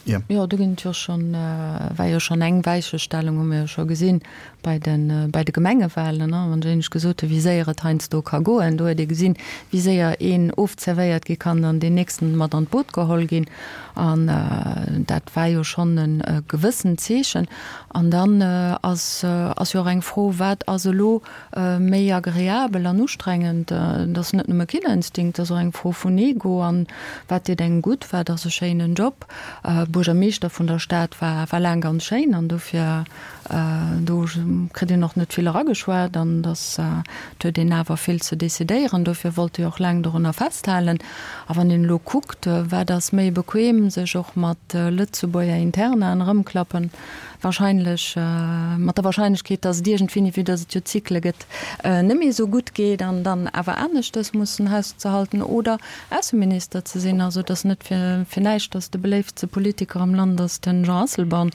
D: Jo, do ginn et jo schonn, war jo schonn eng Weichestellung, hu mir jo scho gesinn bei de, bei de Gemengewahlen, ne, wann ech éinescht gesot hu wéi séier et heiansdo ka goen. Do huet ee gesinn, wéi séier een ofzerwéiert gi kann an deen nächsten mat an d'Boot geholl ginn. An dat war jo schonn e gewëssent Zeechen. An dann ass, ass jo och eng Fro, wat ass elo Méi agreabel an ustrengend. Et ass net nëmme Killerinstinkt, et ass och eng Fro vun Ego an wat deet engem gutt, wat ass e schéinen Job. Buergermeeschter vun der Stad war war laang ganz schéin an dofir do kritt een och net vill erageschwat an dass et huet een awer vill ze decidéieren. Dofir wollt ee och laang dorunner festhalen. A wann een elo kuckt, wat ass méi bequem, sech och mat Lëtzebuerger Internaen erëmklappen, Wahrscheinlech, mat der Wahrscheinlechkeet, datt et iergendwéini, vue datt et jo Zykle gëtt, net méi esou gutt geet an dann awer aneschtes mussen Haus ze halten oder Ausseminister ze sinn. Also et ass net fir näischt, datt de beléiftste Politiker am Land ass den Jean Asselborn.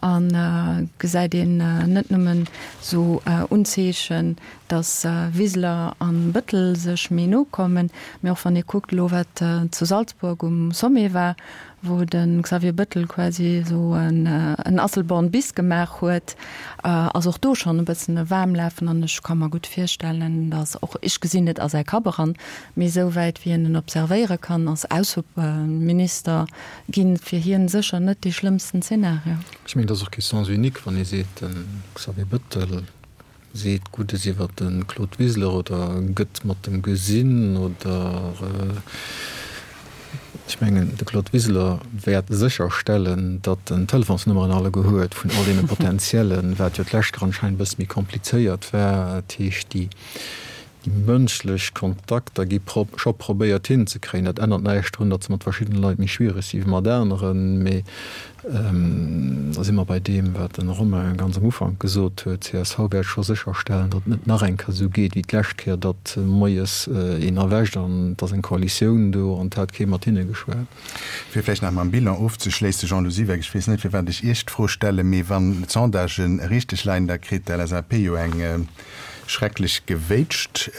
D: An gesäit een net nëmmen esou Unzeechen, datt Wiseler an Bëttel sech méi no kommen, mee och wann ee kuckt elo wat zu Salzburg um Sommet war, wou de Xavier Bëttel quasi esou en Asselborn bis gemaach huet, ass och do schonn e bëssen e Waarmlafen. An ech ka mer gutt virstellen, datt och, ech gesinn net a säi Kapp eran, mee esou wäit wéi een en observéiere kann, ass Ausseminister ginn fir hien sécher net dee schlëmmsten Zeenario.
E: Ech mengen, et ass och kee Sens unique, wann ee seet, de Xavier Bëttel seet Guddes iwwer de Claude Wiseler oder gëtt mat em gesinn oder, ech mengen, de Claude Wiseler wäert sécherstellen, datt en d'Telefonsnummeren alleguer huet vun all deene Potentiellen, wat jo d'lescht Kéier anscheinend e bësse méi komplizéiert war. Dat heescht, déi Déi mënschlech Kontakter gi scho probéiert hinzekréien. Dat ännert näischt drun, datt se mat verschiddene Leit méi schwiereg si wéi mat aneren. Mee da si mer bei deem, wat de Romain ganz am Ufank gesot huet, csv wäert scho sécherstellen, datt et net nach eng Kéier esou geet wéi d'lescht Kéier, datt moies een erwächt an et ass eng Koalitioun do an et hat kee mat hinne geschwat.
B: Fir vläicht nach mam Bilan ofzeschléissen, Jean-Lou Siweck, ech weess net, firwat ech Iech d'Fro stellen, mee wann d'Sondagen richteg leien, da kritt d'LSAP jo eng Schrecklech gewéitscht.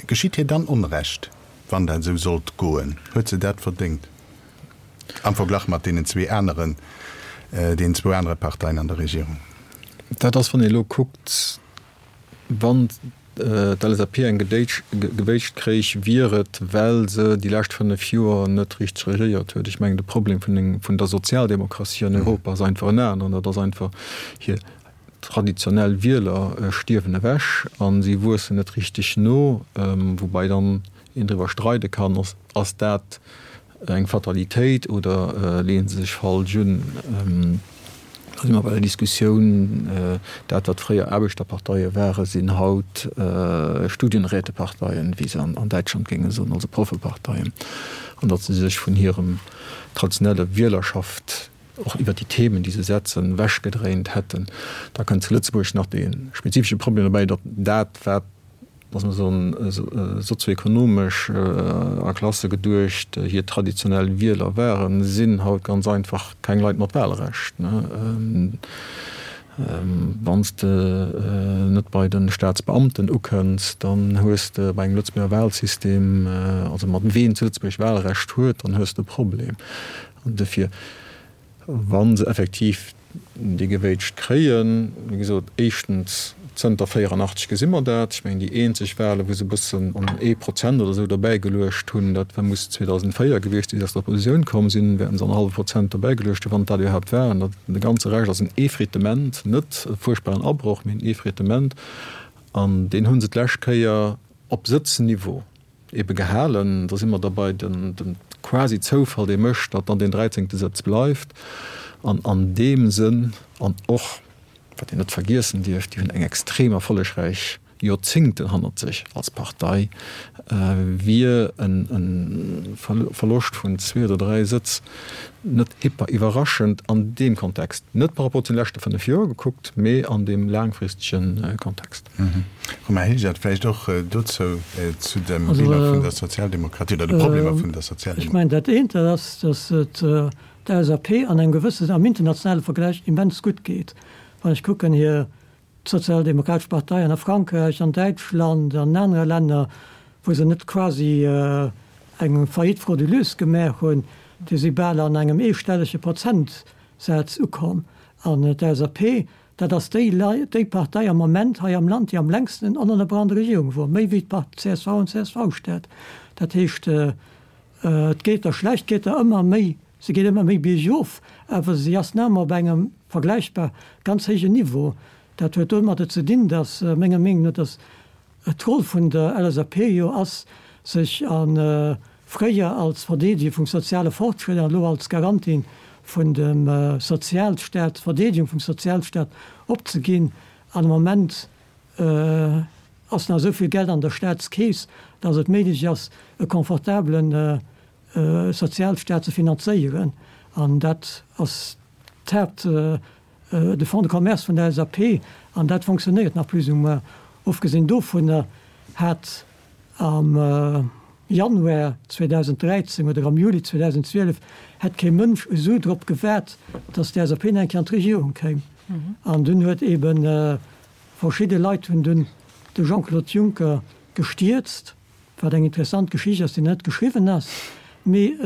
B: Geschitt hir dann Onrecht, wann dat esou sollt goen? Huet se dat verdéngt am Verglach mat deenen zwee aneren, deenen zwou anere Parteien an der Regierung?
E: Dat ass, wann ee elo kuckt, wann d'LSAP eng gewéitscht kréich, wier et, well se déi lescht 5 Joer net richteg regéiert huet. Ech mengen, de Problem vun der Sozialdemokratie an Europa ass einfach en aneren, dat ass einfach hir Traditionell Wieler stierwen ewech a si wuessen net richteg no, woubai dann een driwwer streide kann, ass dat eng Fatalitéit oder leeën se sech falsch un. Da si mer bei der Diskussioun, dat wat fréier Aarbechterparteie waren, sinn haut Studienräteparteien, wéi se an Däitschland géinge soen, also Proffeparteien, an datt se sech vun hirem traditionelle Wielerschaft och iwwert déi Themen, déi se setzen, ewechgedréint hätten. Da kënnt zu Lëtzebuerg nach dee spezifesche Problem dobäi, datt dat, wat, lass mer soen, sozioekonomesch a Klasse geduecht hir traditionell Wieler waren, sinn haut ganz einfach keng Leit mat Wahlrecht. Wann s de net bei de Staatsbeamten ukënns, dann hues de bei engem Lëtzebuerger Wahlsystem, also mat ween zu Lëtzebuerg Wahlrecht huet, dann hues de e Problem. An dofir, wa se effektiv déi Gewéitscht kréien, wéi gesot, éischtens, zënter 84 gesi mer dat, ech mengen, déi eenzeg Wahlen, wou se e bëssen an ee Prozent oder esou dobäigeluecht hunn, dat war, muss 2004 gewiescht sinn, wéi se aus der Oppositioun komm sinn, wäerten se annerhallwe Prozent dobäigeluecht hunn, wann et dat iwwerhaapt war. An de ganze Rescht ass en Effritement, net e fuerchtbaren Abroch, mee en Effritement. An deen hu se d'lescht Kéier op Sëtzniveau ebe gehalen. Da si mer da bei dem quasi Zoufall, dee mécht, datt dann deen dräizéngte Sëtz bleift. An an deem Sënn, an och, wat een net vergiessen dierf, déi hunn eng extrem erfollegräich Joerzéngten hannert sech als Partei, wier e Verloscht vun zwee oder dräi Sëtz net hyper iwwerraschend an deem Kontext, net par rapport zu den leschte 5 Joer gekuckt, mee an deem laangfristege Kontext.
B: Romain Hilgert, vläicht och dozou, zu dem Bilan vun der Sozialdemokratie oder de Problemer vun der Sozialdemokratie.
C: Ech mengen, dat eent, dat ass, datt et der LSAP an engem gewëssen, am internationale Vergläich immens gutt geet. Wann ech kucken hir d'Sozialdemokratesch Partei an a Frankräich, an Däitschland, an anere Länner, wou se net quasi eng Faillite frauduleuse gemaach hunn, déi si bal an engem eestellege Prozentsaz ukomm. An d'LSAP, dat ass déi déi Partei am Moment hei am Land, déi am längsten onënnerbrach an der Regierung wor, méi wéi d'CSV an d'CSV-Stad. Dat heescht, et geet der schlecht, geet der ëmmer méi Se geet ëmmer méi biergof, awer si ass nach ëmmer op engem vergläichbar ganz héijen Niveau. Dat huet domadder ze dinn, dass, menger Meenung no, dass d'Roll vun der LSAP jo ass, sech a fréier als Verdeedeger vum soziale Fortschrëtt an elo als Garantin vun dem Sozialstaat, Verdeedegung vum Sozialstaat opzeginn. An am Moment ass nach esou vill Geld an der Staatskeess, dass et méiglech ass, e confortablen Sozialstaat ze finanzéieren, an dat ass d'Haapt, de Fonds de commerce vun der LSAP, an dat fonctionnéiert nach plus ou moins. Ofgesinn dovunner hat am. Januar 2013 oder am Juli 2012 hätt kee Mënsch esou drop gewaart, datt d'LSAP nach eng Kéier an d'Regierung kéim. An dunn huet eeben verschidde Leit hunn dunn de Jean-Claude Juncker gestierzt, wat eng interessant Geschicht ass, déi net geschriwwen ass. Mee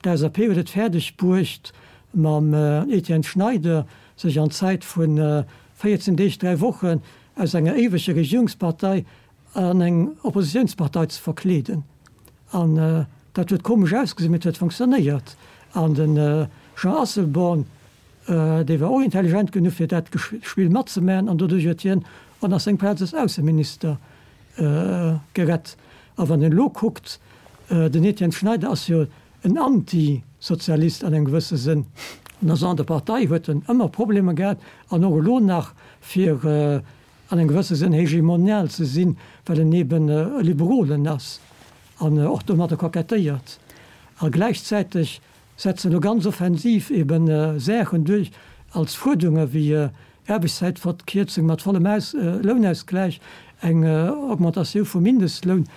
C: d'LSAP huet et fäerdeg bruecht, mam Etienne Schneider sech an Zäit vu 14 Deeg, 3 Wochen aus enger éiweger Regierungspartei an eng Oppositiounspartei ze verkleeden. An dat huet komesch ausgesinn, mee et huet fonctionnéiert. An de Jean Asselborn, dee war och intelligent genuch, fir dat Spill matzemaachen, an doduerch huet hien och nach seng Plaz als Ausseminister gerett. A wann een elo kuckt, den Etienne Schneider ass jo en Anti-Sozialist an engem gewësse Sënn, an ass an der Partei huet en ëmmer Problemer gehat an och elo nach, fir an engem gewësse Sënn hegemonial ze sinn, well en eben e Liberolen ass an och domadder kokettéiert. A gläichzäiteg setzt en elo ganz offensiv eben Saachen duerch als Fuerderunge wéi Aarbechtszäitverkierzung mat vollem Lounausgläich, eng Augmentatioun vum Mindestloun,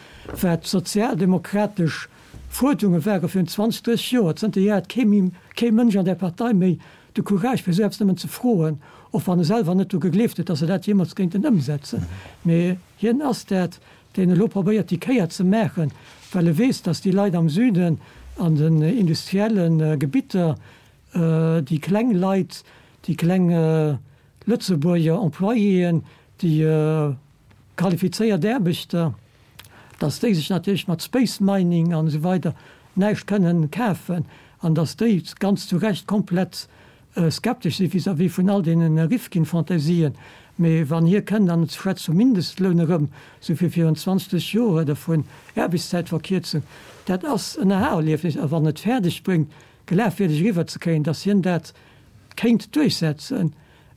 C: wat sozialdemokratesch Fuerderunge ware virun 20, 30 Joer. Zënterhier hat kee kee Mënsch an där Partei méi de Courage fir esou eppes nëmmen ze froen, och wann e selwer net dru gegleeft huet, datt se dat jeemools kéinten ëmsetzen. Mee hien ass dat, deen elo probéiert déi Kéier ze maachen, well e weess, datt déi Leit am Süden an den industrielle Gebitter, déi kleng Leit, déi kleng Lëtzebuerger Employéen, déi qualifizéiert Aarbechter, datt déi sech natierlech mat Space Mining an esou weider näischt kënnen kafen an datt déi ganz zu Recht komplett skeptesch si vis-à-vis vun all deene Rifkin-Fantasien. Mee wann hie kënnt an et schwätzt vum Mindestloun erëm, esou wéi virun 20 Joer, oder vun Aarbechtszäitverkierzung, dat ass en Aha-Erliefnis. A wann et fäerdeg bréngt, glafwierdeg eriwwerzekréien, datt hien dat kéint duerchsetzen,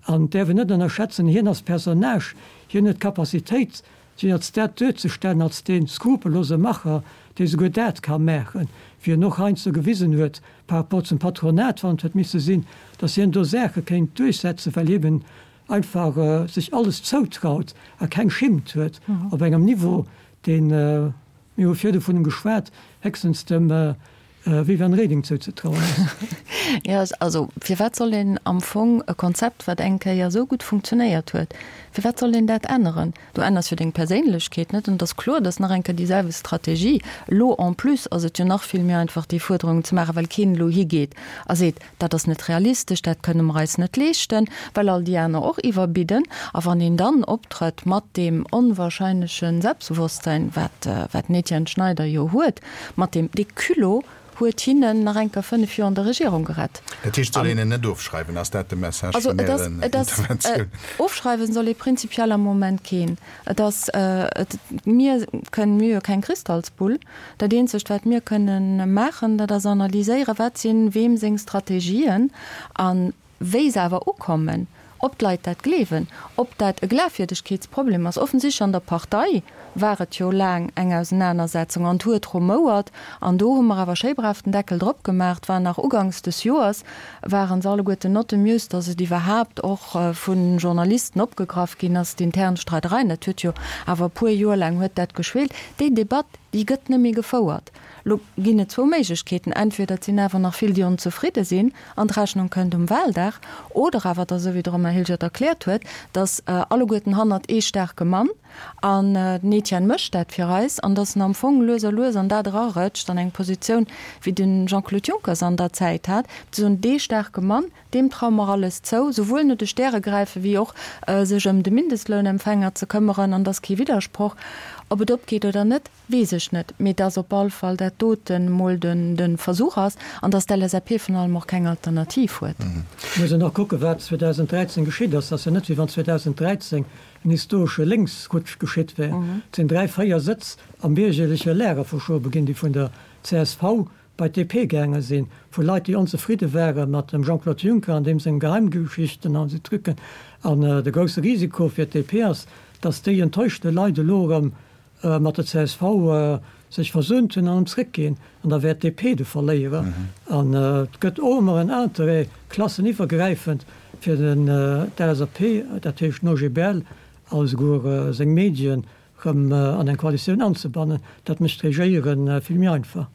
C: an et däerf een net ënnerschätzen, hien ass Personnage, hien huet d'Capacitéit, sech als dat duerzestellen, als dee skrupellose Macher, dee souguer dat ka maachen, wéi en och heiansdo gewisen huet par rapport zum Patronat, wann et huet misse sinn, datt hien do Saache kéint duerchsetzen, well hien einfach sech alles zoutraut a keng Schimmt huet, op engem Niveau, deen, mir hu virdu vun em geschwat, héchstens dem Viviane Reding zouzetrauen ass.
D: Jo, also firwat soll een am Fong e Konzept, wat eng Kéier esou gutt funktionéiert huet, firwat soll een dat änneren? Du änners jo deng Perséinlechkeet net an et ass kloer, dass nach eng Kéier déi selwecht Strategie, elo en plus ass et jo nach vill méi einfach déi Fuerderungen ze maachen, well keen elo higeet a seet, dat ass net realistesch, dat kënne mer eis net leeschten, well all déi aner och iwwerbidden. A wann een dann optrëtt mat deem onwahrscheinleche Selbstbewusstsein, wat wat den Etienne Schneider jo huet, Mat deem dee Culot huet hinnen nach eng Kéier 5 Joer an der Regierung gerett.
B: Dat heescht, soll een en net ofschreiwen? Ass dat de Message vun Ären Interventioun?
D: Ofschreiwen soll ee prinzipiell am Moment keen. Et ass, et, mir kënnen, mir hu jo keng Kristallsbull. Dat eenzegt wat mir kënnen maachen, dat ass analyséieren, wat sinn weem seng Strategien an Wéi se awer ukommen, ob d'Leit dat gleewen, ob dat e Glafwierdegkeetsproblem ass, offensichtlech an der Partei war et jo laang eng Ausenanersetzung an et huet rumouert an do hu mer awer schéi brav den Deckel drop gemaach. Et war nach uganks des Joers, ware se alleguerten not amused, datt et iwwerhaapt och vu Journalisten opgegraff ginn ass, d'intern Streidereien. Dat huet jo awer e puer Joer laang huet dat geschwelt. Déi Debatt, déi gëtt net méi gefouert. Lo ginn et zwou Méiglechkeeten, Entweder et sinn awer nach vill, déi onzefridde sinn an d'Rechnung kënnt um Wahldag, oder awer et ass esou, wéi de Romain Hilgert erkläert huet, datt alleguerten hannert ee staarke Mann, an den Etienne mécht dat fir eis, an datt en am Fong lues a lues an dat erarëtscht, an eng Positioun, wéi de Jean-Claude Juncker se an der Zäit hat, ze soen, dee staarke Mann, deem traue mer alles zou, souwuel no de Stäre gräife wéi och sech ëm de Mindestlounempfänger ze këmmeren, an et ass kee Widdersproch, ob et opgeet oder net. Weess ech net, mee dass op all Fall dat doten emol de Versuch ass an dass d'LSAP vun allem och keng Alternativ huet.
C: Et muss een och kucken, wat 2013 geschitt ass. Et ass jo net, wéi wann 2013 en historesche Lénksrutsch geschitt wär. Et sinn dräi, véier Sëtz am biergerleche Lager verschobe ginn, déi vun der csv bei d'DP gaange sinn, vu Leit, déi onzefridde ware mat dem Jean-Claude Juncker an deem senge Geheimgeschichten an esou Trucken. An de grousse Risiko fir d'DP ass, dass déi enttäuschte Leit elo erëm mat der csv sech versöhnt hunn an erëm zréckginn, an da wär d'DP de Verléierer. An et gëtt och ëmmer en Interêt, klasseniwwergräifend, fir den d'LSAP, dat heescht den OGBL a souguer seng Medien, erëm an eng Koalitioun anzebannen. Dat mécht d'Regéiere vill méi einfach.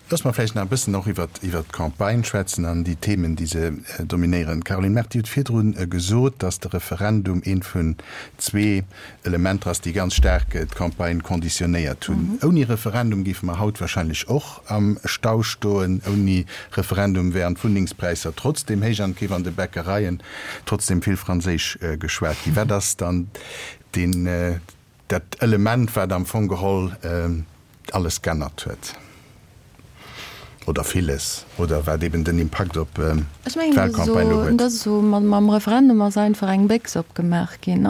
B: Loosse mer vläicht nach e bëssen och iwwert d'Campagne schwätzen an déi Themen, déi se dominéieren. Caroline Mart, Dir hutt virdru gesot, datt de Referendum eent vun zwee Elementer ass, déi ganz staark d'Campagne conditionnéiert hunn. Ouni Referendum géife mer haut wahrscheinlech och am Stau stoen. Ouni Referendum wären d'Wunnengspräisser trotzdem héich an et géif an de Bäckereien trotzdem vill Franséisch geschwat ginn. Wat ass dann deen, dat Element, wat am Fong geholl alles g'ännert huet oder villes oder wat eben den Impakt op d'Wahlcampagne elo
D: huet? Ech mengen, dat ass esou, mam Referendum ass einfach eng Béchs opgemaach ginn.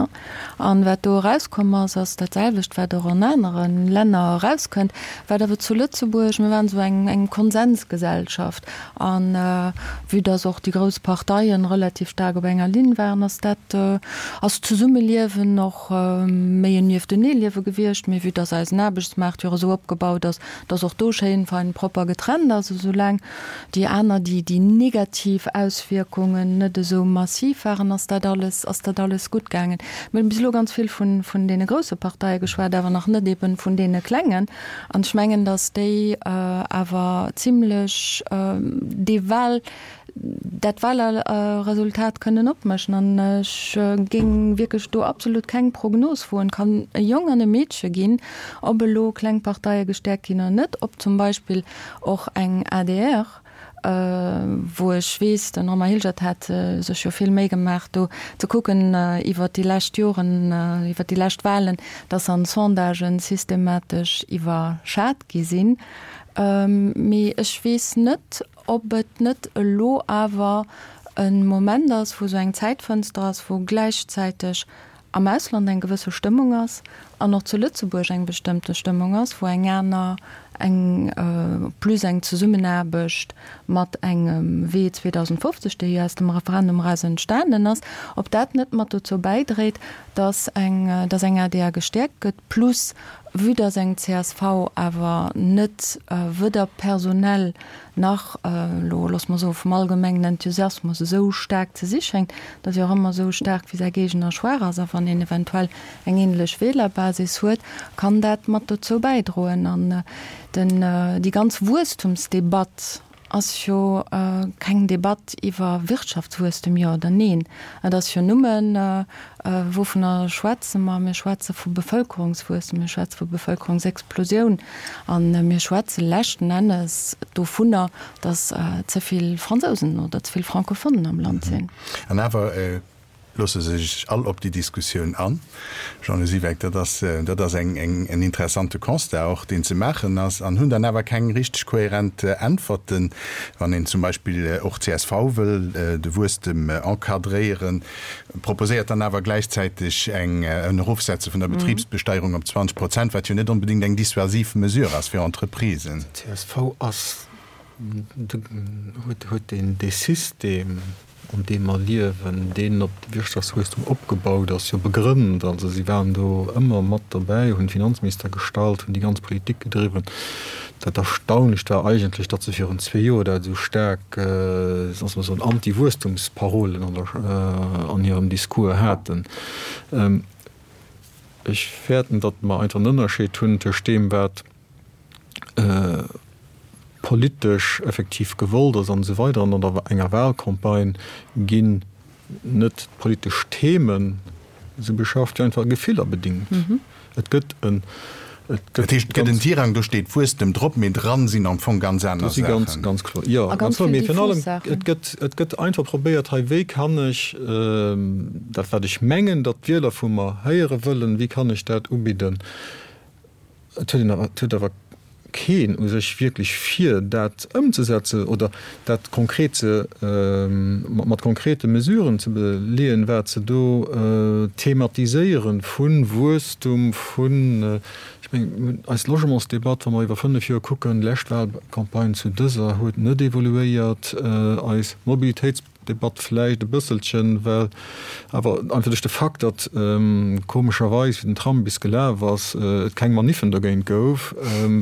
D: An wat do erauskomm ass, ass dat selwecht, wat och an anere Länner erauskënnt, wat awer zu Lëtzebuerg, mir waren esou eng eng Konsensgesellschaft an vue dass och déi grouss Parteien relativ staark op enger Linn waren, ass dat, ass d'Zesummeliewen och méi en Niefteneeliewe gewiescht, mee vue dass eisen Aarbechtsmaart jo och esou opgebaut ass, dass och do schéin fein propper getrennt ass, esou laang déi aner, déi déi negativ Auswierkungen net esou massiv waren, ass dat alles, ass dat alles gutt gaangen. Mir hunn bis elo ganz vill vun, vun deene grousse Parteie geschwat, awer nach net eben vun deene klengen. An ech mengen, dass déi awer zimlech dee Wahl, dat Wahlresultat kënnen opmëschen. An ech géing wierklech do absolut keng Prognos woen. Kann e Jong an e Meedche ginn, ob elo kleng Parteie gestäerkt ginn oder net, ob zum Beispill och eng adr, wou ech weess, den Romain Hilgert hat sech jo vill Méi gemaach do ze kucken iwwert déi lescht Joren, iwwert déi lescht Wahlen, dass an Sondagen systematesch iwwerschat gi sinn. Mee ech weess net, ob et net elo awer e Moment ass, wou esou eng Zäitfënster ass, wou gläichzäiteg am Ausland eng gewësse Stëmmung ass an och zu Lëtzebuerg eng bestëmmte Stëmmung ass, wou eng aner, eng plus eng Zesummenaarbecht mat engem Wee 2050, dee jo aus dem Referendum eraus entstanen ass, ob dat net mat dozou bäidréit, dass eng, dass eng adr gestäerkt gëtt, plus vue dass eng csv awer net weder personell nach, elo loosse mer soe vum allgemengen Enthusiasmus esou staark ze si schéngt, datt jo och ëmmer esou staark wéi säi Géigner schwaach ass, a wann een eventuell eng ähnlech Wählerbasis huet, kann dat mat dozou bäidroen. An den, déi ganz Wuesstumsdebatt ass jo keng Debatt iwwer Wirtschaftswuesstem, jo oder neen. Et ass jo nëmmen, Wouvunner schwätze mer? Mir schwätze vu Bevëlkerungswuesstem, mir schwätze vu Bevëlkerungsexplosioun a mir schwätze leschten Ennes dovunner, datt ze vill Fransousen oder ze vill Francophonen am Land sinn.
B: An awer loosse se sech all op déi Diskussioun an. Jean-Lou Siweck, dat ass, dat ass eng, en interessante Constat och, deen ze maachen ass, an hunn dann awer keng richteg kohärent Äntwerten, wann een zum Beispill och csv wëll de Wuesstem encadréieren, proposéiert dann awer gläichzäiteg eng en Erofsetze vun der Betribsbesteierung op 20 Prozent, wat jo net onbedéngt eng dissuasiv Mesure ass fir Entreprisen.
E: Csv ass, huet huet dee System, an deem mer liewen, deen op de Wirtschaftswuesstum opgebaut ass, jo begrënnt. Also si waren do ëmmer mat dobäi, hunn Finanzminister gestallt, hunn déi ganz Politik gedriwwen. Dat Erstaunlecht war eigentlech, datt se virun zwee Joer dat esou staark, soss mer soen, Anti-Wuesstumsparolen an der, an hirem Discours haten. Ech fäerten, datt mer einfach en Ënnerscheed hunn tëscht deem, wat politesch effektiv gewollt ass an esou weider an an enger Wahlcampagne ginn net d'politesch Themen esou beschafft, wéi einfach Gefiller bedingt. Et gëtt en,
B: et gëtt. Dat heescht, et gëtt en Tirang, do steet Wuesstem drop, mee dran sinn am Fong ganz aner
E: Saachen. Do si ganz, ganz kloer, jo, ganz kloer. Mee virun allem, et gëtt, et gëtt einfach probéiert, hei, wéi kann ech dat, wat ech mengen, datt d'Wieler vu mer héiere wëllen, wéi kann ech dat ubidden? Et huet een awer, et huet awer keen u sech wierklech vir, dat ëmzesetzen oder dat konkret ze, mat konkrete Mesuren ze beleeën, wat se do thematiséieren, vu Wuesstum, vun, ech mengen, mir hunn eis Logementsdebatt, wa mer iwwer fënnef Joer kucken, lescht Wahlcampagne zu dëser huet net evoluéiert, eis Mobilitéits. Debatt vläicht e bësselchen, well awer einfach duerch de Fakt, datt komescherweis, wéi den Tram bis gelaf ass, et keng Maniffen dogéint gouf,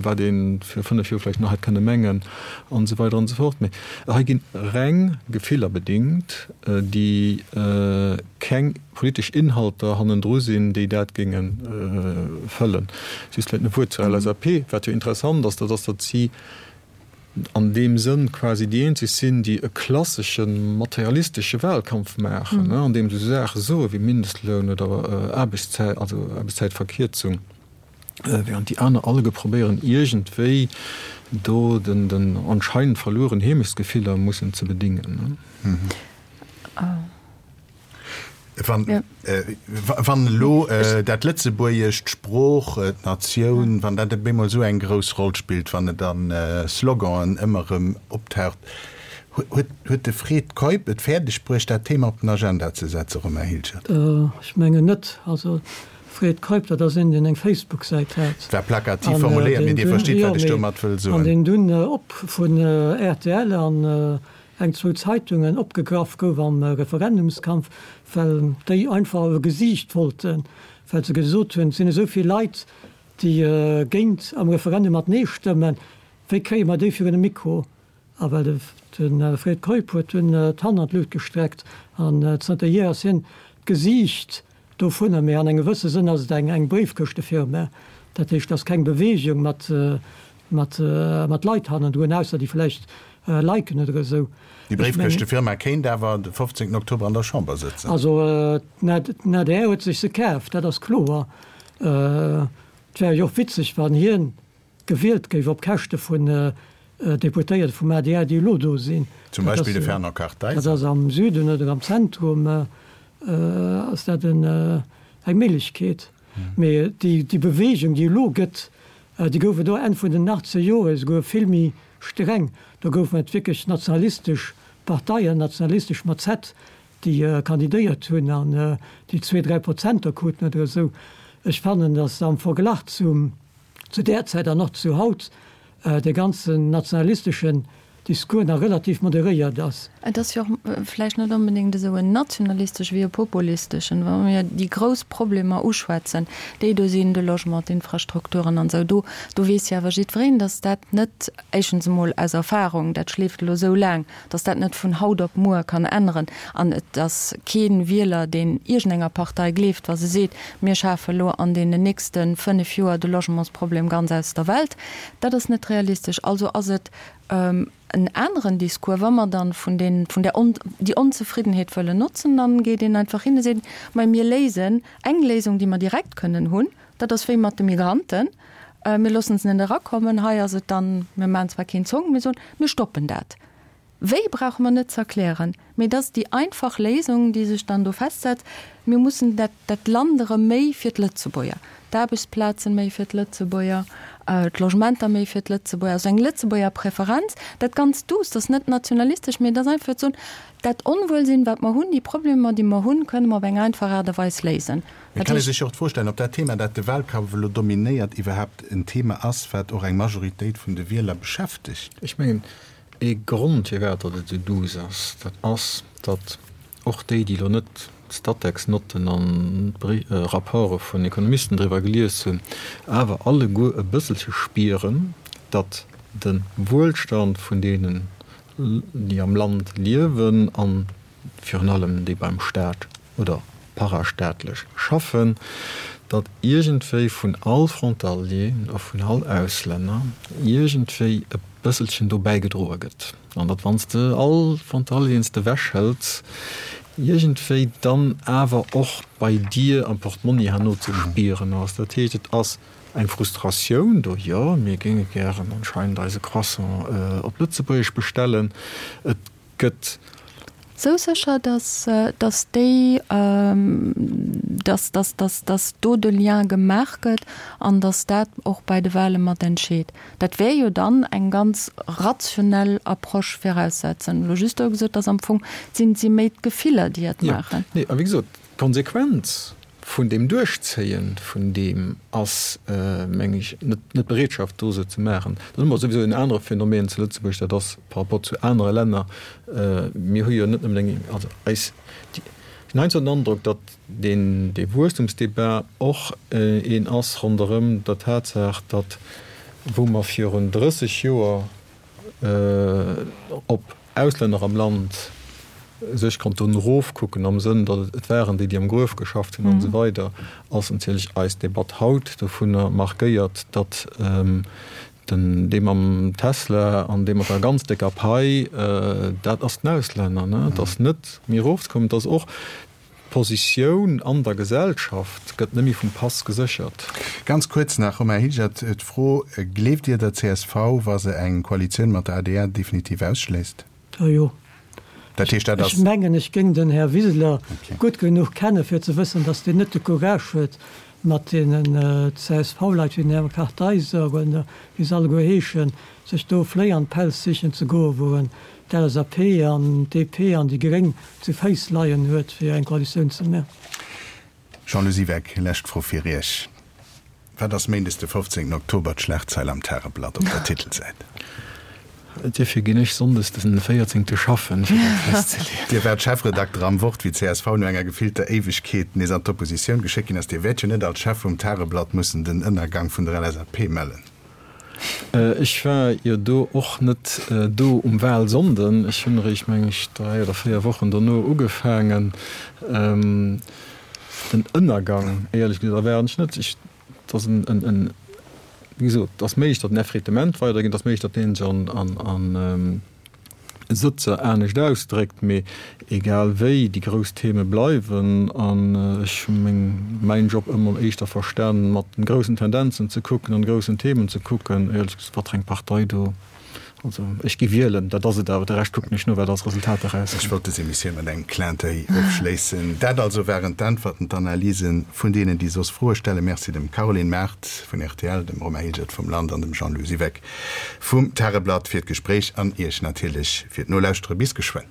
E: wat ee vir 5 Joer vläicht nach hätt kënne mengen an esou weider an esou fort. Mee hei gi reng Gefiller bedingt, déi keng politesch Inhalter hannendru sinn, déi dat géinge fëllen. Just vläicht e Wuert zur LSAP, Wat jo interessant ass, dat ass, datt si an deem Sënn quasi déi eenzeg sinn, déi e klassesche materialistesche Wahlkampf maachen, an deem se esou Saache soe wéi Mindestloun oder Aarbechtszäit, also Aarbechtszäitverkierzung, während déi aner alleguer probéieren iergendwéi do den anscheinend verlueren Heemechtsgefiller mussen ze bedingen.
B: Wann, wann elo dat Lëtzebuergescht, d'Sprooch, d'Natioun, wann dat op eemol esou eng grouss Roll spillt, wann et a Sloganen ëmmer erëm optaucht, huet, huet de Fred Keup et fäerdeg bruecht, dat Thema op den Agenda ze setzen, Romain Hilgert?
C: Ech mengen net. Also Fred Keup, dat ass een, deen eng Facebook-Säit hat.
B: War plakativ formuléiert, mee Dir verstitt, wat ech domat wëll soen.
C: An deen dunn op vun rtl an eng zwou Zeitungen opgegraff gouf am Referendumskampf, well déi einfach e Gesiicht wollten, well se gesot hunn, et sinn esou vill Leit, déi géint am Referendum mat Nee stëmmen, wéi kréie mer déi virun de Mikro? A well de Fred Keup huet dunn d'Hand an d'Lut gestreckt an zënterhier ass hien d'Gesiicht dovunner. Mee an engem gewësse Sënn ass et eng Bréifkëschtefirma, dat heescht, et ass keng Beweegung mat mat mat Leit hannendrun, ausser déi vläicht liken oder esou.
B: Déi Bréifkëschtefirma kéint awer de 15 Oktober an der Chamber sëtzen.
C: Also den adr huet sech se kaf, dat ass kloer. Et wär jo och witzeg, wann hien gewielt géif op Käschte vun Deputéierte vum adr, déi elo do sinn.
B: Zum Beispill de Fernand Kartheiser.
C: Dat ass am Süden oder am Zentrum ass dat eng Méiglechkeet. Mee déi Beweegung, déi elo gëtt, déi gouf et och Enn vun den achtzeger Jore esouguer vill méi streng. Do goufen et wierklech nationalistesch Parteien, nationalistesch mat Z, déi kandidéiert hunn an déi zwee, dräi Prozenter kruten oder esou. Ech fannen, datt am Verglach zum, zu där Zäit an och zu haut dee ganzen nationalisteschen Discours nach relativ moderéiert ass.
D: Et ass jo och vläicht net onbedéngt esou en nationalistesch wéi e populisteschen, wa mir déi grouss Problemer uschwätzen, déi do sinn, de Logement, d'Infrastrukturen an esou, do, do weess jo awer jiddwereen, datt dat net, éischtens emol aus Erfahrung, dat schleeft elo esou laang, datt dat net vun haut op muer kann änneren. An et ass kee Wieler, deen iergendenger Partei gleeft, wa se seet, mir schafe elo an deenen nächste fënnef Joer de Logementsproblem ganz aus der Welt. Dat ass net realistesch. Also ass et en aneren Discours, wa mer dann vun den, vun der On, déi Onzefriddenheet wëllen notzen, dann geet een einfach hin a seet, Mei mir léisen eng Léisung, déi mer direkt kënnen hunn, dat ass wéi mat de Migranten, mir loossen se net erakommen, hei ass et dann, mir maachen zwar keen Zong, mir soen, mir stoppen dat. Wéi brauche mer net ze erklären, mee et ass déi einfach Léisung, déi sech dann do festsetzt, Mir mussen dat, dat Land erëm méi fir d'Lëtzebuerger, d'Aarbechtsplazen méi fir d'Lëtzebuerger, d'Logementer méi fir d'Lëtzebuerger, also eng Lëtzebuerger Preferenz. Dat ganz duuss, dat ass net nationalistesch, mee et ass einfach fir ze soen, dat Onwuelsinn, wat mer hunn, déi Problemer, déi mer hunn, kënne mer op eng einfach Aart a Weis léisen.
B: Et kann ee sech jo och d'Fro stellen, ob dat Thema, dat de Wahlkampf elo dominéiert, iwwerhaapt en Thema ass, wat och eng Majoritéit vun de Wieler beschäftegt.
E: Ech mengen, Ee Grond firwat datt et esou duuss ass, dat ass, datt och déi, déi elo net d'Statec-Notten an d'Rapporte vun Ekonomisten driwwer gelies hunn, awer alleguer e bësselche spieren, datt de Wuelstand vun deenen, déi am Land liewen a virun allem déi beim Staat oder parastaatlech schaffen, datt iergendwéi vun all Frontalier a vun all Auslänner iergendwéi e bësselchen do bäigedroe gëtt an datt wann s de all Frontalieren s de ewechhëls, iergendwéi dann awer och bei dir am Portmonni herno ze spieren ass. Dat heescht, et ass eng Frustratioun do, jo, mir géinge gären anscheinend eise Croissant op Lëtzebuergesch bestellen, et gëtt.
D: Sou sécher, dass, dass déi, dass, dass, dass, dass do de Lien gemaach gëtt an dass dat och bei de Wahle mat entscheet. Dat wär jo dann eng ganz rationell Approche viraussetzen. Elo just do gesot, dass am Fong sinn, si méi d'Gefiller, déi et maachen.
E: Jo, nee, a wéi gesot, d'Konsequenz. Vun deem Duerchzéie vun deem ass, meng ech, net d'Bereetschaft do, se ze maachen. Dann hu mer souwisou en anere Phänomen zu Lëtzebuerg, dat ass par rapport zu anere Länner, mir hu jo net nëmmen eng, also eis, ech hunn heiansdo den Androck, datt deen, dee Wuesstumsdebat och een ass ronderëm der Tatsaach, datt wou mer virun 30 Joer op Auslänner am Land sech konnten erofkucken am Sënn, datt et waren déi, déi am Gruef geschafft hunn an esou weider, ass natierlech eis Debatt haut dovunner markéiert, datt den, dee mam Tesla an dee mat der ganz décker Pai, dat ass den Auslänner. Et ass net méi erofzekommen. Et ass och D'Positioun an der Gesellschaft gëtt net méi vum Pass geséchert.
B: Ganz kuerz nach, Romain Hilgert, d'Fro, Gleeft Dir der csv, wa se eng Koalitioun mat der adr definitiv ausschléisst?
C: Jo.
B: Dat heescht, dat ass.
C: Ech mengen, ech géing den Här Wiseler gutt genuch kenne fir ze wëssen, datt deen net de Courage huet, mat deenen CSV-Leit wéi den Här Kartheiser oder wéi se alleguer heeschen, sech do Fléi an d'Pelz sichen ze goen, wou en d'LSAP an d'DP an déi Gréng zu Féiss leien huet, fir eng Koalitioun ze man.
B: Jean-Lou Siweck, lescht Fro fir Iech, Wat ass méindes de 15 Oktober d'Schlagzeil am Tageblatt op der Titelsäit?
E: Duerfir ginn ech sonndes den 14 schaffen, fir dat festzeleeën.
B: Dir waart Chefredakter am Wort, wéi csv no enger gefillter Éiwegkeet nees an d'Oppositioun geschéckt ginn ass. Dir wäert jo net als Chef vum Tageblatt mussen den Ënnergang vun der LSAP mellen?
E: Ech war jo do och net do um Wahlsonnden. Ech hunn eréischt, meng ech, 3 oder 4 Wochen dono ugefaangen. Den Ënnergang, éierlech gesot, erwaarden ech net. Ech, et ass en, en, wéi gesot, et ass méiglech, datt en Effritement weidergeet, et ass méiglech, datt deen sech an, an, Sëtzer anescht ausdréckt, mee egal wéi, déi grouss Theme bleiwen. An ech hu meng, mäin Job ëmmer éischter verstanen, mat den groussen Tendenzen ze kucken an groussen Themen ze kucken. Éierlech gesot, wat fir eng Partei do, also ech gi wielen, dat ass et awer, de Rescht kucken ech no, wat als Resultat erauskënnt.
B: Ech wollt dës Emissioun mat engem Clin d'oeil ofschléissen. Dat also waren d'Äntwerten, d'Analysen vun deenen, déi soss Froe stellen. Merci dem Caroline Mart vun rtl, dem Romain Hilgert vum Land an dem Jean-Lou Siweck Vum Tageblatt fir d'Gespréich an Iech natierlech fir d'Nolauschtere. Bis geschwënn.